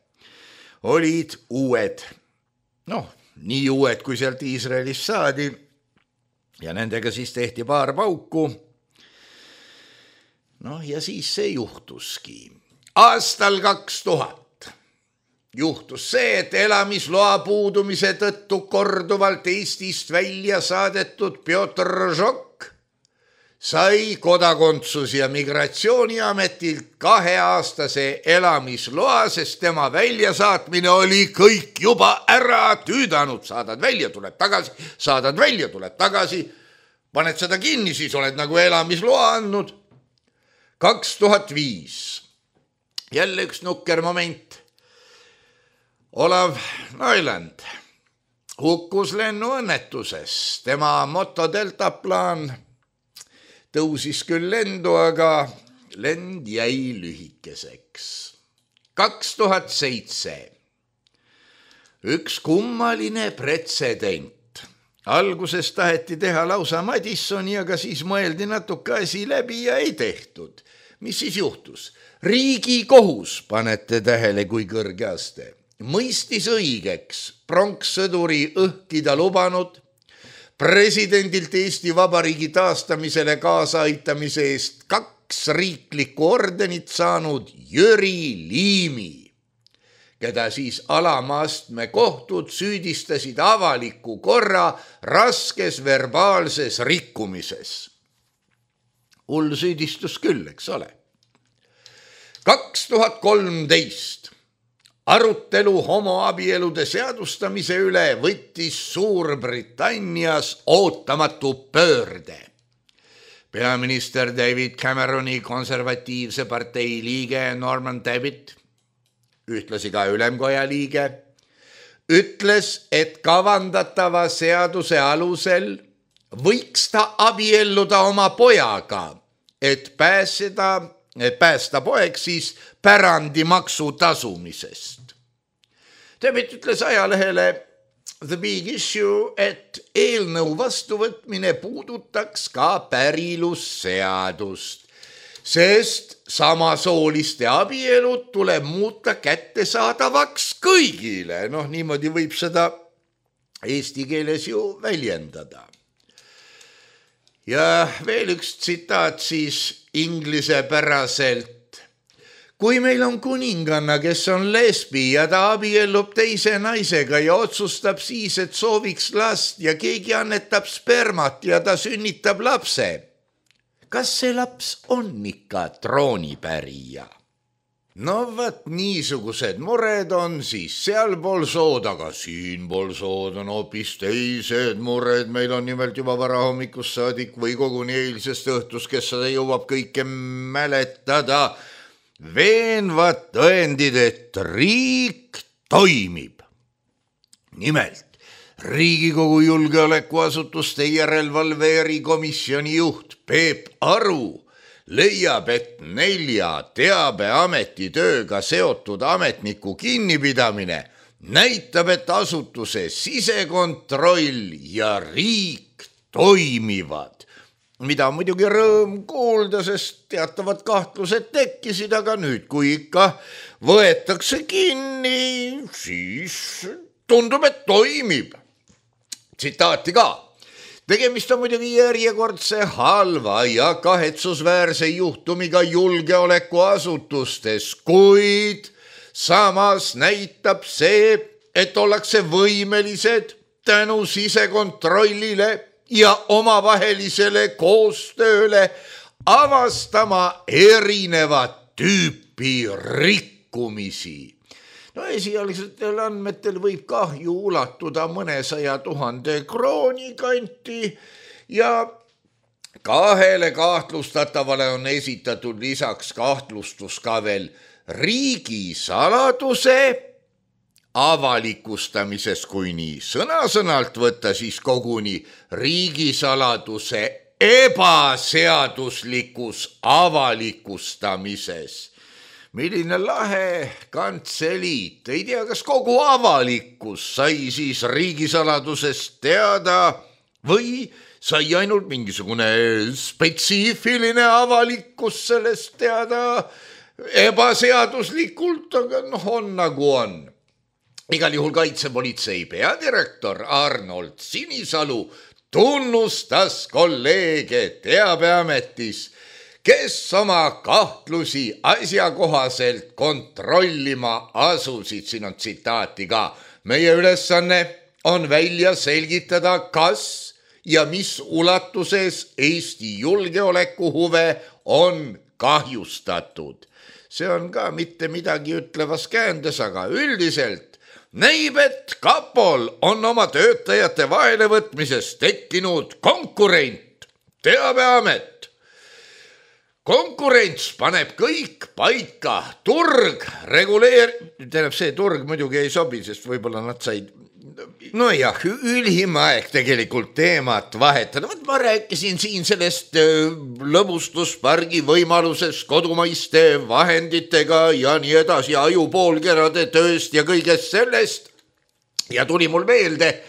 Speaker 3: olid uued, nii uued, kui sealt Iisraelist saadi ja nendega siis tehti paar pauku. Ja siis see juhtuski. Aastal 2000 juhtus see, et elamisloa puudumise tõttu korduvalt Eestist välja saadetud Pjotr Žok sai kodakondsus- ja migratsiooniametilt 2-aastase elamisloa, sest tema väljasaatmine oli kõik juba ära tüüdanud. Saadad välja, tuleb tagasi, saadad välja, tuleb tagasi. Paned seda kinni, siis oled nagu elamisloa andnud. 2005. Jälle üks nukker moment. Olav Noiland hukkus lennuõnnetuses. Tema motodeltaplaan tõusis küll lendu, aga lend jäi lühikeseks. 2007. Üks kummaline pretsedent. Alguses taheti teha lausa Madissoni, aga siis mõeldi natuke asi läbi ja ei tehtud. mis siis juhtus? Riigikohus, panete tähele, kui kõrge aste, mõistis õigeks pronkssõduri õhkida lubanud presidendilt Eesti Vabariigi taastamisele kaasaaitamise eest 2 riiklikku ordenit saanud Jüri Liimi, keda siis alamaastme kohtud süüdistasid avaliku korra raskes verbaalses rikkumises. Hull süüdistus küll, eks ole. 2013 arutelu homoabielude seadustamise üle võttis Suurbritannias ootamatu pöörde. Peaminister David Cameroni konservatiivse partei liige Norman Tebbit, ühtlasi ka ülemkoja liige, ütles, et kavandatava seaduse alusel võiks ta abielluda oma pojaga, et päästa poeg siis pärandimaksu tasumisest. Tebbit ütles ajalehele The Big Issue, et eelnõu vastuvõtmine puudutaks ka pärilusseadust, sest samasooliste abielud tuleb muuta kättesaadavaks kõigile. Niimoodi võib seda eesti keeles ju väljendada. Ja veel üks tsitaat siis inglisepäraselt. Kui meil on kuninganna, kes on lesbi ja ta abiellub teise naisega ja otsustab siis, et sooviks last ja keegi annetab spermat ja ta sünnitab lapse, kas see laps on ikka troonipärija? Vat niisugused mured on siis sealpool sood, aga siinpool sood on hoopis teised mured. Meil on nimelt juba varahommikust saadik või koguni eilsest õhtust, kes seda jõuab kõike mäletada, veenvad tõendid, et riik toimib. Nimelt, Riigikogu julgeolekuasutuste järelevalve erikomisjoni juht Peep Aru leiab, et 4 teabeameti tööga seotud ametniku kinnipidamine näitab, et asutuse sisekontroll ja riik toimivad. Mida muidugi rõõm kuulda, sest teatavad kahtlused tekkisid, aga nüüd, kui ikka võetakse kinni, siis tundub, et toimib. Tsitaati ka. Tegemist on muidugi järjekordse halva ja kahetsusväärse juhtumiga julgeolekuasutustes, kuid samas näitab see, et ollakse võimelised tänu sisekontrollile ja omavahelisele koostööle avastama erinevat tüüpi rikkumisi. Esialgsetel andmetel võib kahju ulatuda mõnesaja 000 krooni kanti ja 2 kahtlustatavale on esitatud lisaks kahtlustus ka veel riigisaladuse avalikustamises, kui nii sõna-sõnalt võtta, siis koguni riigisaladuse ebaseaduslikus avalikustamises. Milline lahe kantseliit, ei tea, kas kogu avalikkus sai siis riigisaladusest teada või sai ainult mingisugune spetsiifiline avalikkus sellest teada ebaseaduslikult, aga on nagu on. Igal juhul kaitsepolitsei peadirektor Arnold Sinisalu tunnustas kolleege teabeametis, kes oma kahtlusi asjakohaselt kontrollima asusid. Siin on tsitaati ka. Meie ülesanne on välja selgitada, kas ja mis ulatuses Eesti julgeolekuhuve on kahjustatud. See on ka mitte midagi ütlevas käändes, aga üldiselt näib, et kapol on oma töötajate vahelevõtmises tekkinud konkurent, teabeamet. Konkurents paneb kõik paika, turg tähendab, see turg muidugi ei sobi, sest võib-olla nad said, ülim aeg tegelikult teemat vahetada. Ma rääkisin siin sellest lõbustuspargi võimalusest kodumaiste vahenditega ja nii edasi, ajupoolkerade tööst ja kõigest sellest. Ja tuli mul meelde,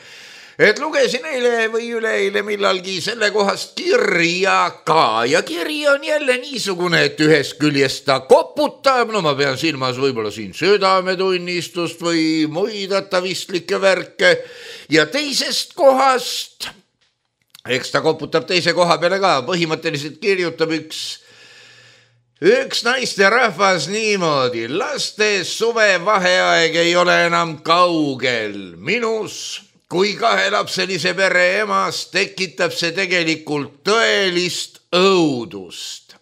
Speaker 3: et lugesin eile või üleeile millalgi selle kohast kirja ka ja kiri on jälle niisugune, et ühest küljest ta koputab, no ma pean silmas võib-olla siin südametunnistust või muid atavistlikke värke ja teisest kohast, eks ta koputab teise koha peale ka, põhimõtteliselt kirjutab üks naisterahvas niimoodi, laste suvevaheaeg ei ole enam kaugel, minus kui 2-lapselise pere emas tekitab see tegelikult tõelist õudust.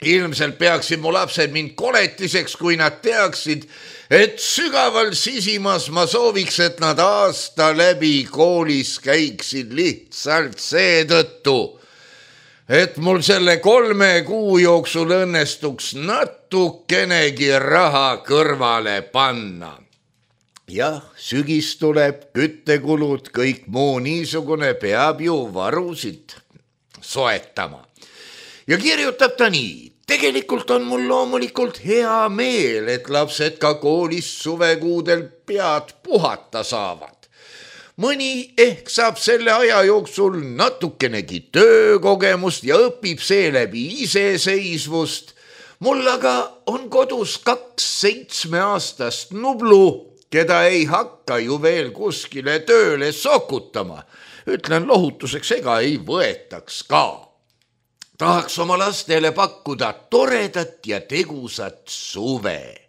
Speaker 3: Ilmselt peaksid mu lapsed mind koletiseks, kui nad teaksid, et sügaval sisimas ma sooviks, et nad aasta läbi koolis käiksid lihtsalt seetõttu, et mul selle 3 kuu jooksul õnnestuks natukenegi raha kõrvale panna. Jah, sügis tuleb, küttekulud, kõik muu niisugune peab ju varusid soetama. Ja kirjutab ta nii, tegelikult on mul loomulikult hea meel, et lapsed ka koolis suvekuudel pead puhata saavad. Mõni ehk saab selle aja jooksul natukenegi töökogemust ja õpib seeläbi iseseisvust. Mul aga on kodus 2 7-aastast nublu, keda ei hakka ju veel kuskile tööle sokutama. Ütlen lohutuseks, ega ei võetaks ka. Tahaks oma lastele pakkuda toredat ja tegusat suve.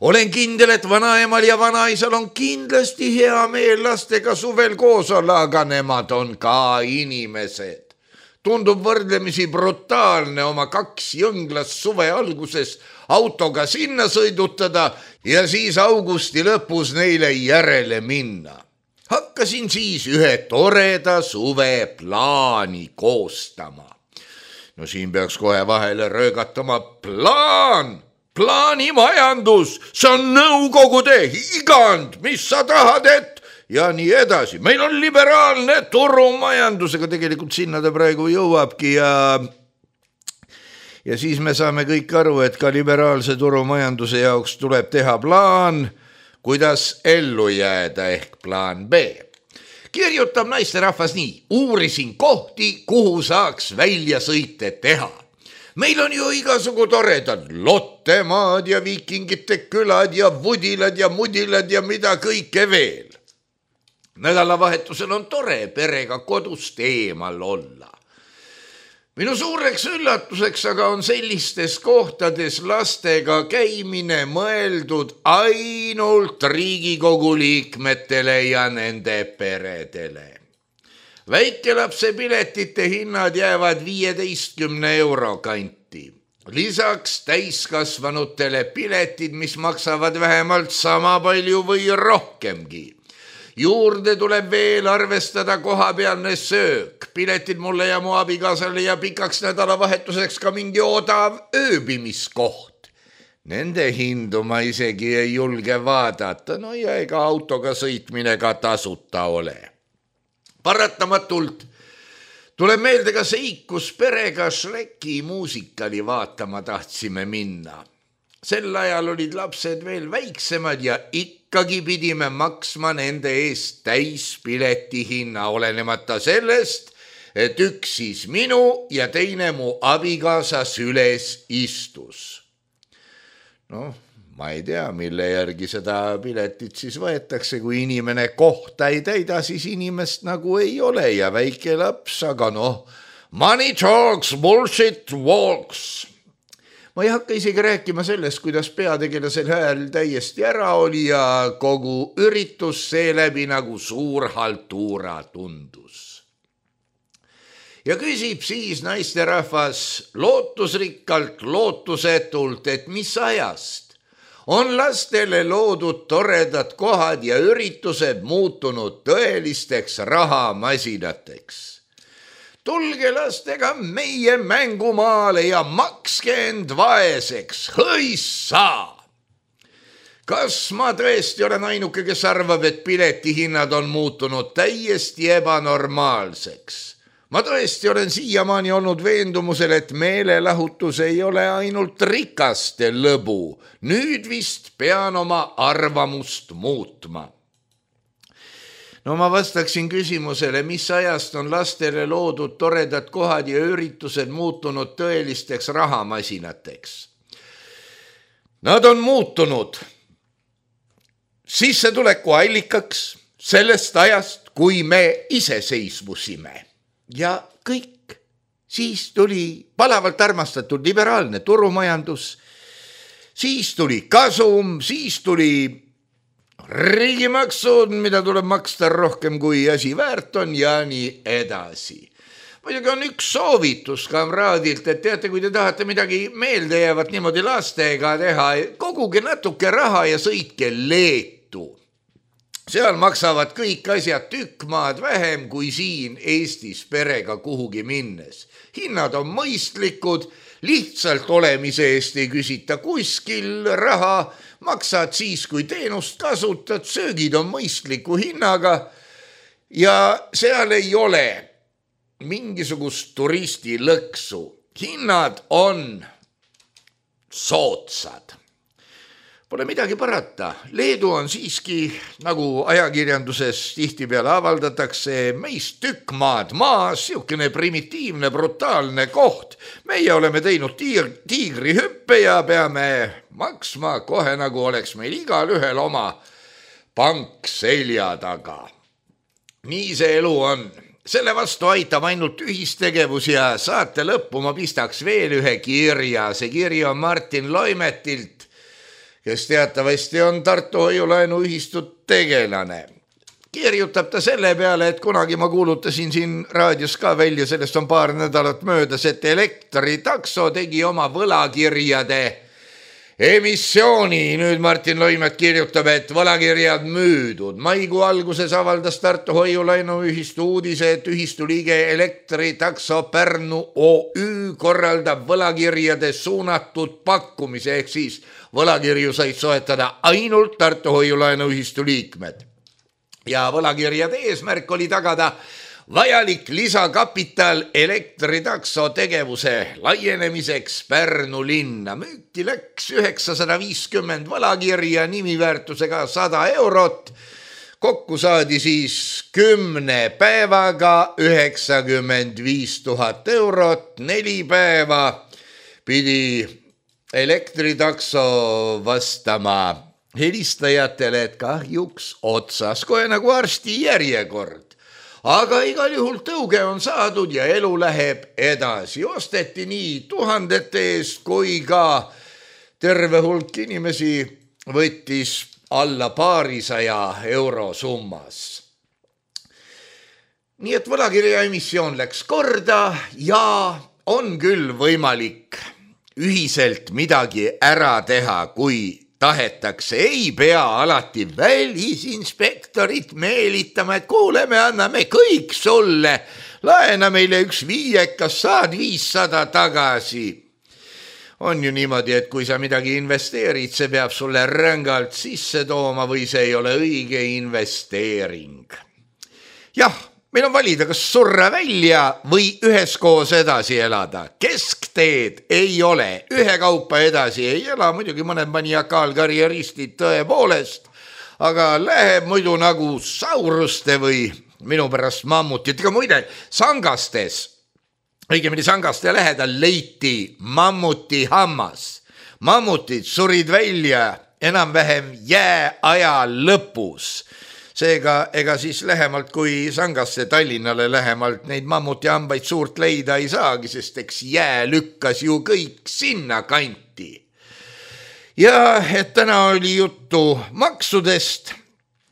Speaker 3: Olen kindel, et vanaemal ja vanaisal on kindlasti hea meel lastega suvel koos olla, aga nemad on ka inimesed. Tundub võrdlemisi brutaalne oma 2 jõnglast suve alguses autoga sinna sõidutada ja siis augusti lõpus neile järele minna. Hakkasin siis ühe toreda suve plaani koostama. No siin peaks kohe vahele röögatama plaanimajandus, see on nõukogude higand, mis sa tahad, et ja nii edasi. Meil on liberaalne turumajandus, aga tegelikult sinna ta praegu jõuabki ja siis me saame kõik aru, et ka liberaalse turumajanduse jaoks tuleb teha plaan, kuidas ellu jääda ehk plaan B. Kirjutab naisterahvas nii, uurisin kohti, kuhu saaks väljasõite teha. Meil on ju igasugu toredad Lottemaad ja Viikingite külad ja Vudilad ja Mudilad ja mida kõike veel. Nädalavahetusel on tore perega kodust eemal olla. Minu suureks üllatuseks aga on sellistes kohtades lastega käimine mõeldud ainult Riigikogu liikmetele ja nende peredele. Väikelapse piletite hinnad jäävad 15 euro kanti. Lisaks täiskasvanutele piletid, mis maksavad vähemalt sama palju või rohkemgi. Juurde tuleb veel arvestada kohapealne söök, piletid mulle ja mu abikaasale ja pikaks nädalavahetuseks ka mingi odav ööbimiskoht. Nende hindu ma isegi ei julge vaadata, no ja ega autoga sõitmine ka tasuta ole. Paratamatult tuleb meelde ka seik, kus perega Shreki muusikali vaatama tahtsime minna. Sel ajal olid lapsed veel väiksemad ja ikkagi pidime maksma nende eest täispileti hinna, olenemata sellest, et üks siis minu ja teine mu abikaasa süles istus. No, ma ei tea, mille järgi seda piletit siis võetakse, kui inimene kohta ei täida, siis inimest nagu ei ole ja väike laps, aga money talks, bullshit walks. Ma ei hakka isegi rääkima sellest, kuidas peategelasel hääl täiesti ära oli ja kogu üritus seeläbi nagu suur haltuura tundus. Ja küsib siis naisterahvas lootusrikkalt, lootusetult, et mis ajast on lastele loodud toredad kohad ja üritused muutunud tõelisteks rahamasinateks. Tulge lastega meie mängumaale ja makske end vaeseks, hõissa! Kas ma tõesti olen ainuke, kes arvab, et piletihinnad on muutunud täiesti ebanormaalseks? Ma tõesti olen siiamaani olnud veendumusel, et meelelahutus ei ole ainult rikaste lõbu. Nüüd vist pean oma arvamust muutma. No ma vastaksin küsimusele, mis ajast on lastele loodud toredad kohad ja üritused muutunud tõelisteks rahamasinateks. Nad on muutunud sissetuleku allikaks sellest ajast, kui me iseseisvusime. Ja kõik. Siis tuli palavalt armastatud liberaalne turumajandus, siis tuli kasum, siis tuli riigimaksud, mida tuleb maksta rohkem kui asi väärt on ja nii edasi. Muidugi on üks soovitus kamraadilt, et teate, kui te tahate midagi meelde jäävat niimoodi lastega teha, koguge natuke raha ja sõitke Leetu. Seal maksavad kõik asjad tükk maad vähem kui siin Eestis perega kuhugi minnes. Hinnad on mõistlikud, lihtsalt olemise eest ei küsita kuskil raha, maksad siis, kui teenust kasutad, söögid on mõistliku hinnaga ja seal ei ole mingisugust turistilõksu. Hinnad on soodsad. Pole midagi parata. Leedu on siiski, nagu ajakirjanduses tihtipeale avaldatakse, meist tükk maad maas, siukene primitiivne, brutaalne koht. Meie oleme teinud tiigrihüppe ja peame maksma kohe, nagu oleks meil igal ühel oma pank selja taga. Nii see elu on. Selle vastu aitab ainult ühistegevus ja saate lõppu ma pistaks veel ühe kirja. See kiri on Martin Loimetilt, kes teatavasti on Tartu Hoiulaenuühistut tegelane. Kirjutab ta selle peale, et kunagi ma kuulutasin siin raadios ka välja, sellest on paar nädalat möödas, et elektritakso tegi oma võlakirjade emissiooni. Nüüd Martin Loimet kirjutab, et võlakirjad müüdud. Maikuu alguses avaldas Tartu Hoiulaenuühistu uudise, et ühistu liige Elektritakso Pärnu OÜ korraldab võlakirjade suunatud pakkumise, ehk siis võlakirju said soetada ainult Tartu Hoiulaenuühistu liikmed. Ja võlakirjade eesmärk oli tagada vajalik lisakapital Elektritakso tegevuse laienemiseks Pärnu linna. Müüki läks 950 võlakirja nimiväärtusega 100 eurot. Kokku saadi siis 10 päevaga 95 000 eurot. 4 päeva pidi Elektritakso vastama helistajatele, et kahjuks otsas, kohe nagu arsti järjekord. Aga igal juhul tõuge on saadud ja elu läheb edasi. Osteti nii tuhandete eest, kui ka terve hulk inimesi võttis alla 200 euro summas. Nii et võlakirja emissioon läks korda ja on küll võimalik ühiselt midagi ära teha, kui tahetakse. Ei pea alati välisinspektorit meelitama, et kuule, me anname kõik sulle. Laena meile üks 5, saad 500 tagasi. On ju niimoodi, et kui sa midagi investeerid, see peab sulle rängalt sisse tooma või see ei ole õige investeering. Jah, meil on valida, kas surra välja või üheskoos edasi elada. Keskteed ei ole, ühekaupa edasi ei ela, muidugi mõned maniakaalkarjeristid tõepoolest, aga läheb muidu nagu sauruste või minu pärast mammutitega. Muide, Sangastes, õigemini Sangaste lähedal leiti mammuti hammas. Mammutid surid välja enam-vähem jääaja lõpus. Seega, ega siis lähemalt kui Sangasse Tallinnale lähemalt neid mammuti hambaid suurt leida ei saagi, sest eks jää lükkas ju kõik sinna kanti. Ja et täna oli juttu maksudest,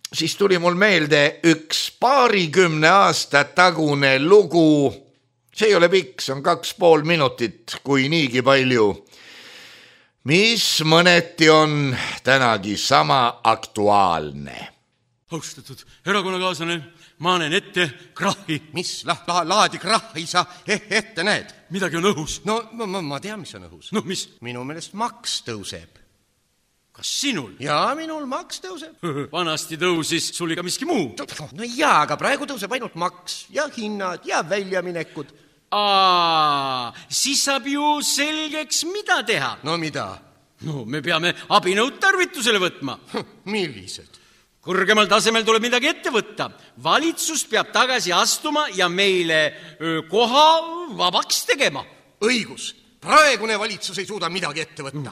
Speaker 3: siis tuli mul meelde üks 20 aasta tagune lugu. See ei ole pikk, see on 2,5 minutit, kui niigi palju. Mis mõneti on tänagi sama aktuaalne.
Speaker 4: Austatud erakonnakaaslane, ma näen ette krahhi.
Speaker 5: Mis laadi krahhi sa ette näed?
Speaker 4: Midagi on õhus.
Speaker 5: No ma tean, mis on õhus.
Speaker 4: No mis?
Speaker 5: Minu meelest maks tõuseb.
Speaker 4: Kas sinul?
Speaker 5: Jaa, minul maks tõuseb.
Speaker 4: Vanasti tõusis sul iga miski muu.
Speaker 5: No jaa, aga praegu tõuseb ainult maks ja hinnad ja väljaminekud.
Speaker 4: Siis saab ju selgeks, mida teha.
Speaker 5: No mida?
Speaker 4: No me peame abinõud tarvitusele võtma.
Speaker 5: Millised?
Speaker 4: kõrgemal tasemel tuleb midagi ette võtta. Valitsus peab tagasi astuma ja meile koha vabaks tegema.
Speaker 5: Õigus. Praegune valitsus ei suuda midagi ette võtta.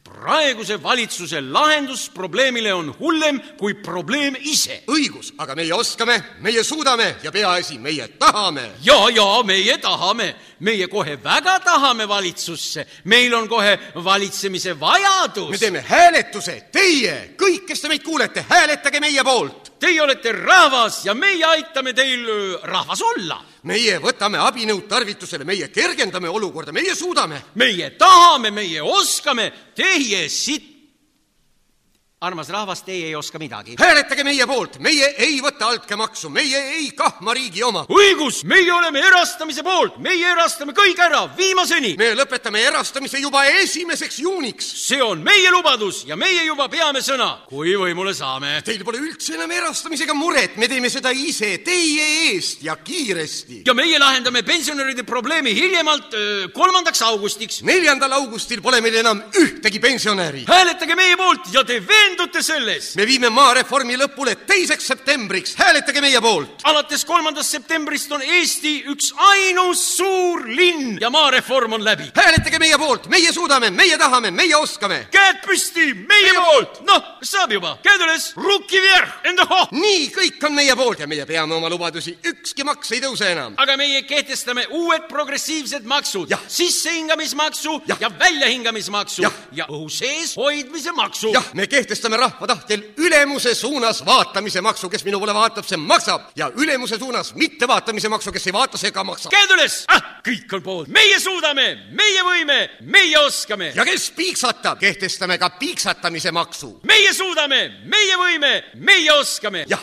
Speaker 4: Praeguse valitsuse lahendus probleemile on hullem kui probleem ise.
Speaker 5: Õigus, aga meie oskame, meie suudame ja peaasi, meie tahame.
Speaker 4: Ja, meie tahame. Meie kohe väga tahame valitsusse. Meil on kohe valitsemise vajadus.
Speaker 5: Me teeme hääletuse. Teie, kõik, kes te meid kuulete, hääletage meie poolt.
Speaker 4: Teie olete rahvas ja meie aitame teil rahvas olla.
Speaker 5: Meie võtame abinõud tarvitusele, meie kergendame olukorda, meie suudame.
Speaker 4: Meie tahame, meie oskame, teie siit. Armas rahvas, teie ei oska midagi.
Speaker 5: Hääletage meie poolt, meie ei võta altkäemaksu, meie ei kahma riigi oma.
Speaker 4: Õigus, meie oleme erastamise poolt, meie erastame kõik ära, viimaseni.
Speaker 5: Me lõpetame erastamise juba 1. juuniks.
Speaker 4: See on meie lubadus ja meie juba peame sõna, kui võimule saame.
Speaker 5: Teil pole üldse enam erastamisega muret, me teeme seda ise, teie eest ja kiiresti.
Speaker 4: Ja meie lahendame pensionäride probleemi hiljemalt 3. augustiks.
Speaker 5: 4. augustil pole meil enam ühtegi pensionäri.
Speaker 4: Hääletage meie poolt ja te veendute selles.
Speaker 5: Me viime maareformi lõpule 2. septembriks. Hääletage meie poolt.
Speaker 4: Alates 3. septembrist on Eesti üks ainus suur linn ja maareform on läbi.
Speaker 5: Hääletage meie poolt. Meie suudame, meie tahame, meie oskame.
Speaker 4: Käed püsti, meie poolt. Saab juba. Käed üles. Ruki vierh, enda ho.
Speaker 5: Nii, kõik on meie poolt ja meie peame oma lubadusi. Ükski maks ei tõuse enam.
Speaker 4: Aga meie kehtestame uued progressiivsed maksud.
Speaker 5: Ja.
Speaker 4: Sissehingamismaksu ja väljahingamismaksu ja õhu sees hoidmise maksu.
Speaker 5: Jah, me kehtestame rahva tahtel ülemuse suunas vaatamise maksu, kes minu poole vaatab, see maksab. Ja ülemuse suunas mitte vaatamise maksu, kes ei vaata, see ka maksab.
Speaker 4: Käed üles! Kõik on poolt. Meie suudame, meie võime, meie oskame.
Speaker 5: Ja kes piiksatab, kehtestame ka piiksatamise maksu.
Speaker 4: Meie suudame, meie võime, meie oskame.
Speaker 5: Jah.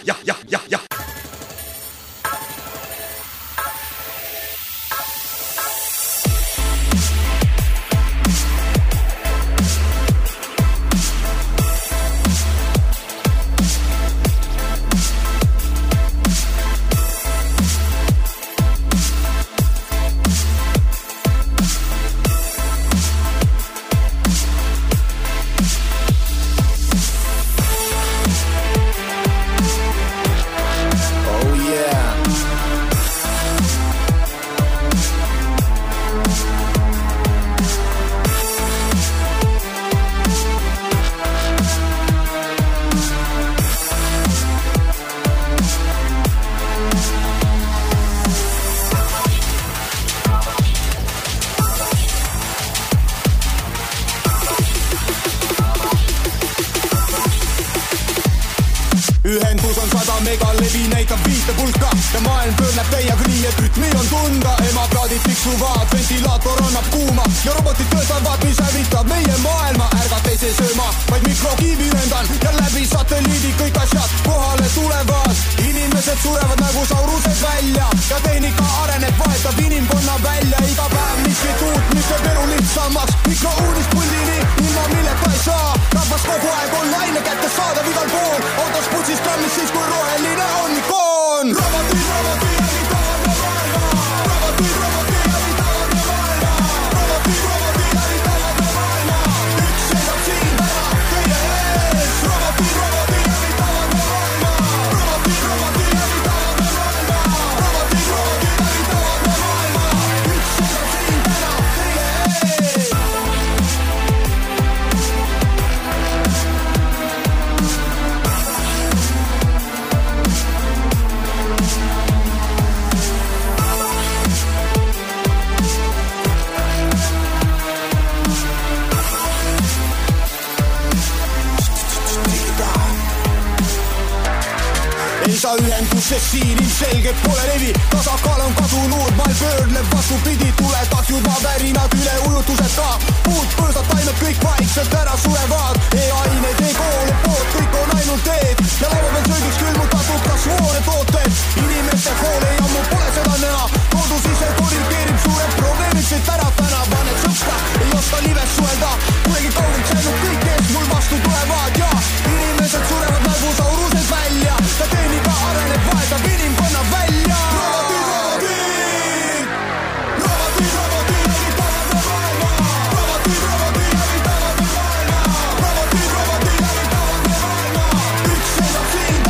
Speaker 6: Ühendus on 100 megalevi näitab 5 pulka ja maailm pöörneb täiega nii, et rütmi on tunda. Emaplaadid tiksuvad, ventilaator annab kuuma ja robotid töötavad, mis hävitab meie maailma. Ärgata ei see sööma, vaid mikrokiivi lendan ja läbi satelliidi kõik asjad kohale tulevad. Inimesed surevad nagu saurused välja ja tehnika areneb, vahetab inimkonna välja. Iga päev miskit uut, mis teeb elu lihtsamaks. Mikrouudist puldini, ilma milleta ei saa. Rahvas kogu aeg online kätte saadav igal pool. Autos putsis trammis siis, kui roheline on ikoon. Robotid hävitavad maailma. Robotid hävitavad maailma. Robotid hävitavad maailma. Üks seisab siin täna teie ees. Robotid hävitavad maailma. Robotid hävitavad maailma. Robotid hävitavad maailma. Üks seisab siin täna teie ees. Ei saa ühendusest siin ilmselgelt pole levi. Tasakaal on kadunud, maal pöörleb vastupidi. Tulevad juba värinad üle ujutuseta. Puud, põõsad, taimed kõik vaikselt ära surevad. E-ained, e-koole, pood, kõik on ainult teed. Ja laua peal söögiks külmutatud kasvoone tooted. Inimeste hoole ja ammu pole seda näha. Kodus ise korrigeerib suured probleemid siit ära täna. Paned sõpra, ei oska lives suelda. Kuidagi kaugelt säinud kõik, kes mul vastu tulevad. Ja inimesed surevad nagu saurused välja. Ja tehnika areneb, vahetab inimkonna välja. Robotid hävitavad maailma. Robotid hävitavad maailma. Robotid hävitavad maailma. Üks seisab siin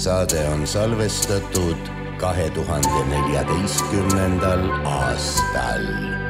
Speaker 7: Saade on salvestatud 2014. aastal.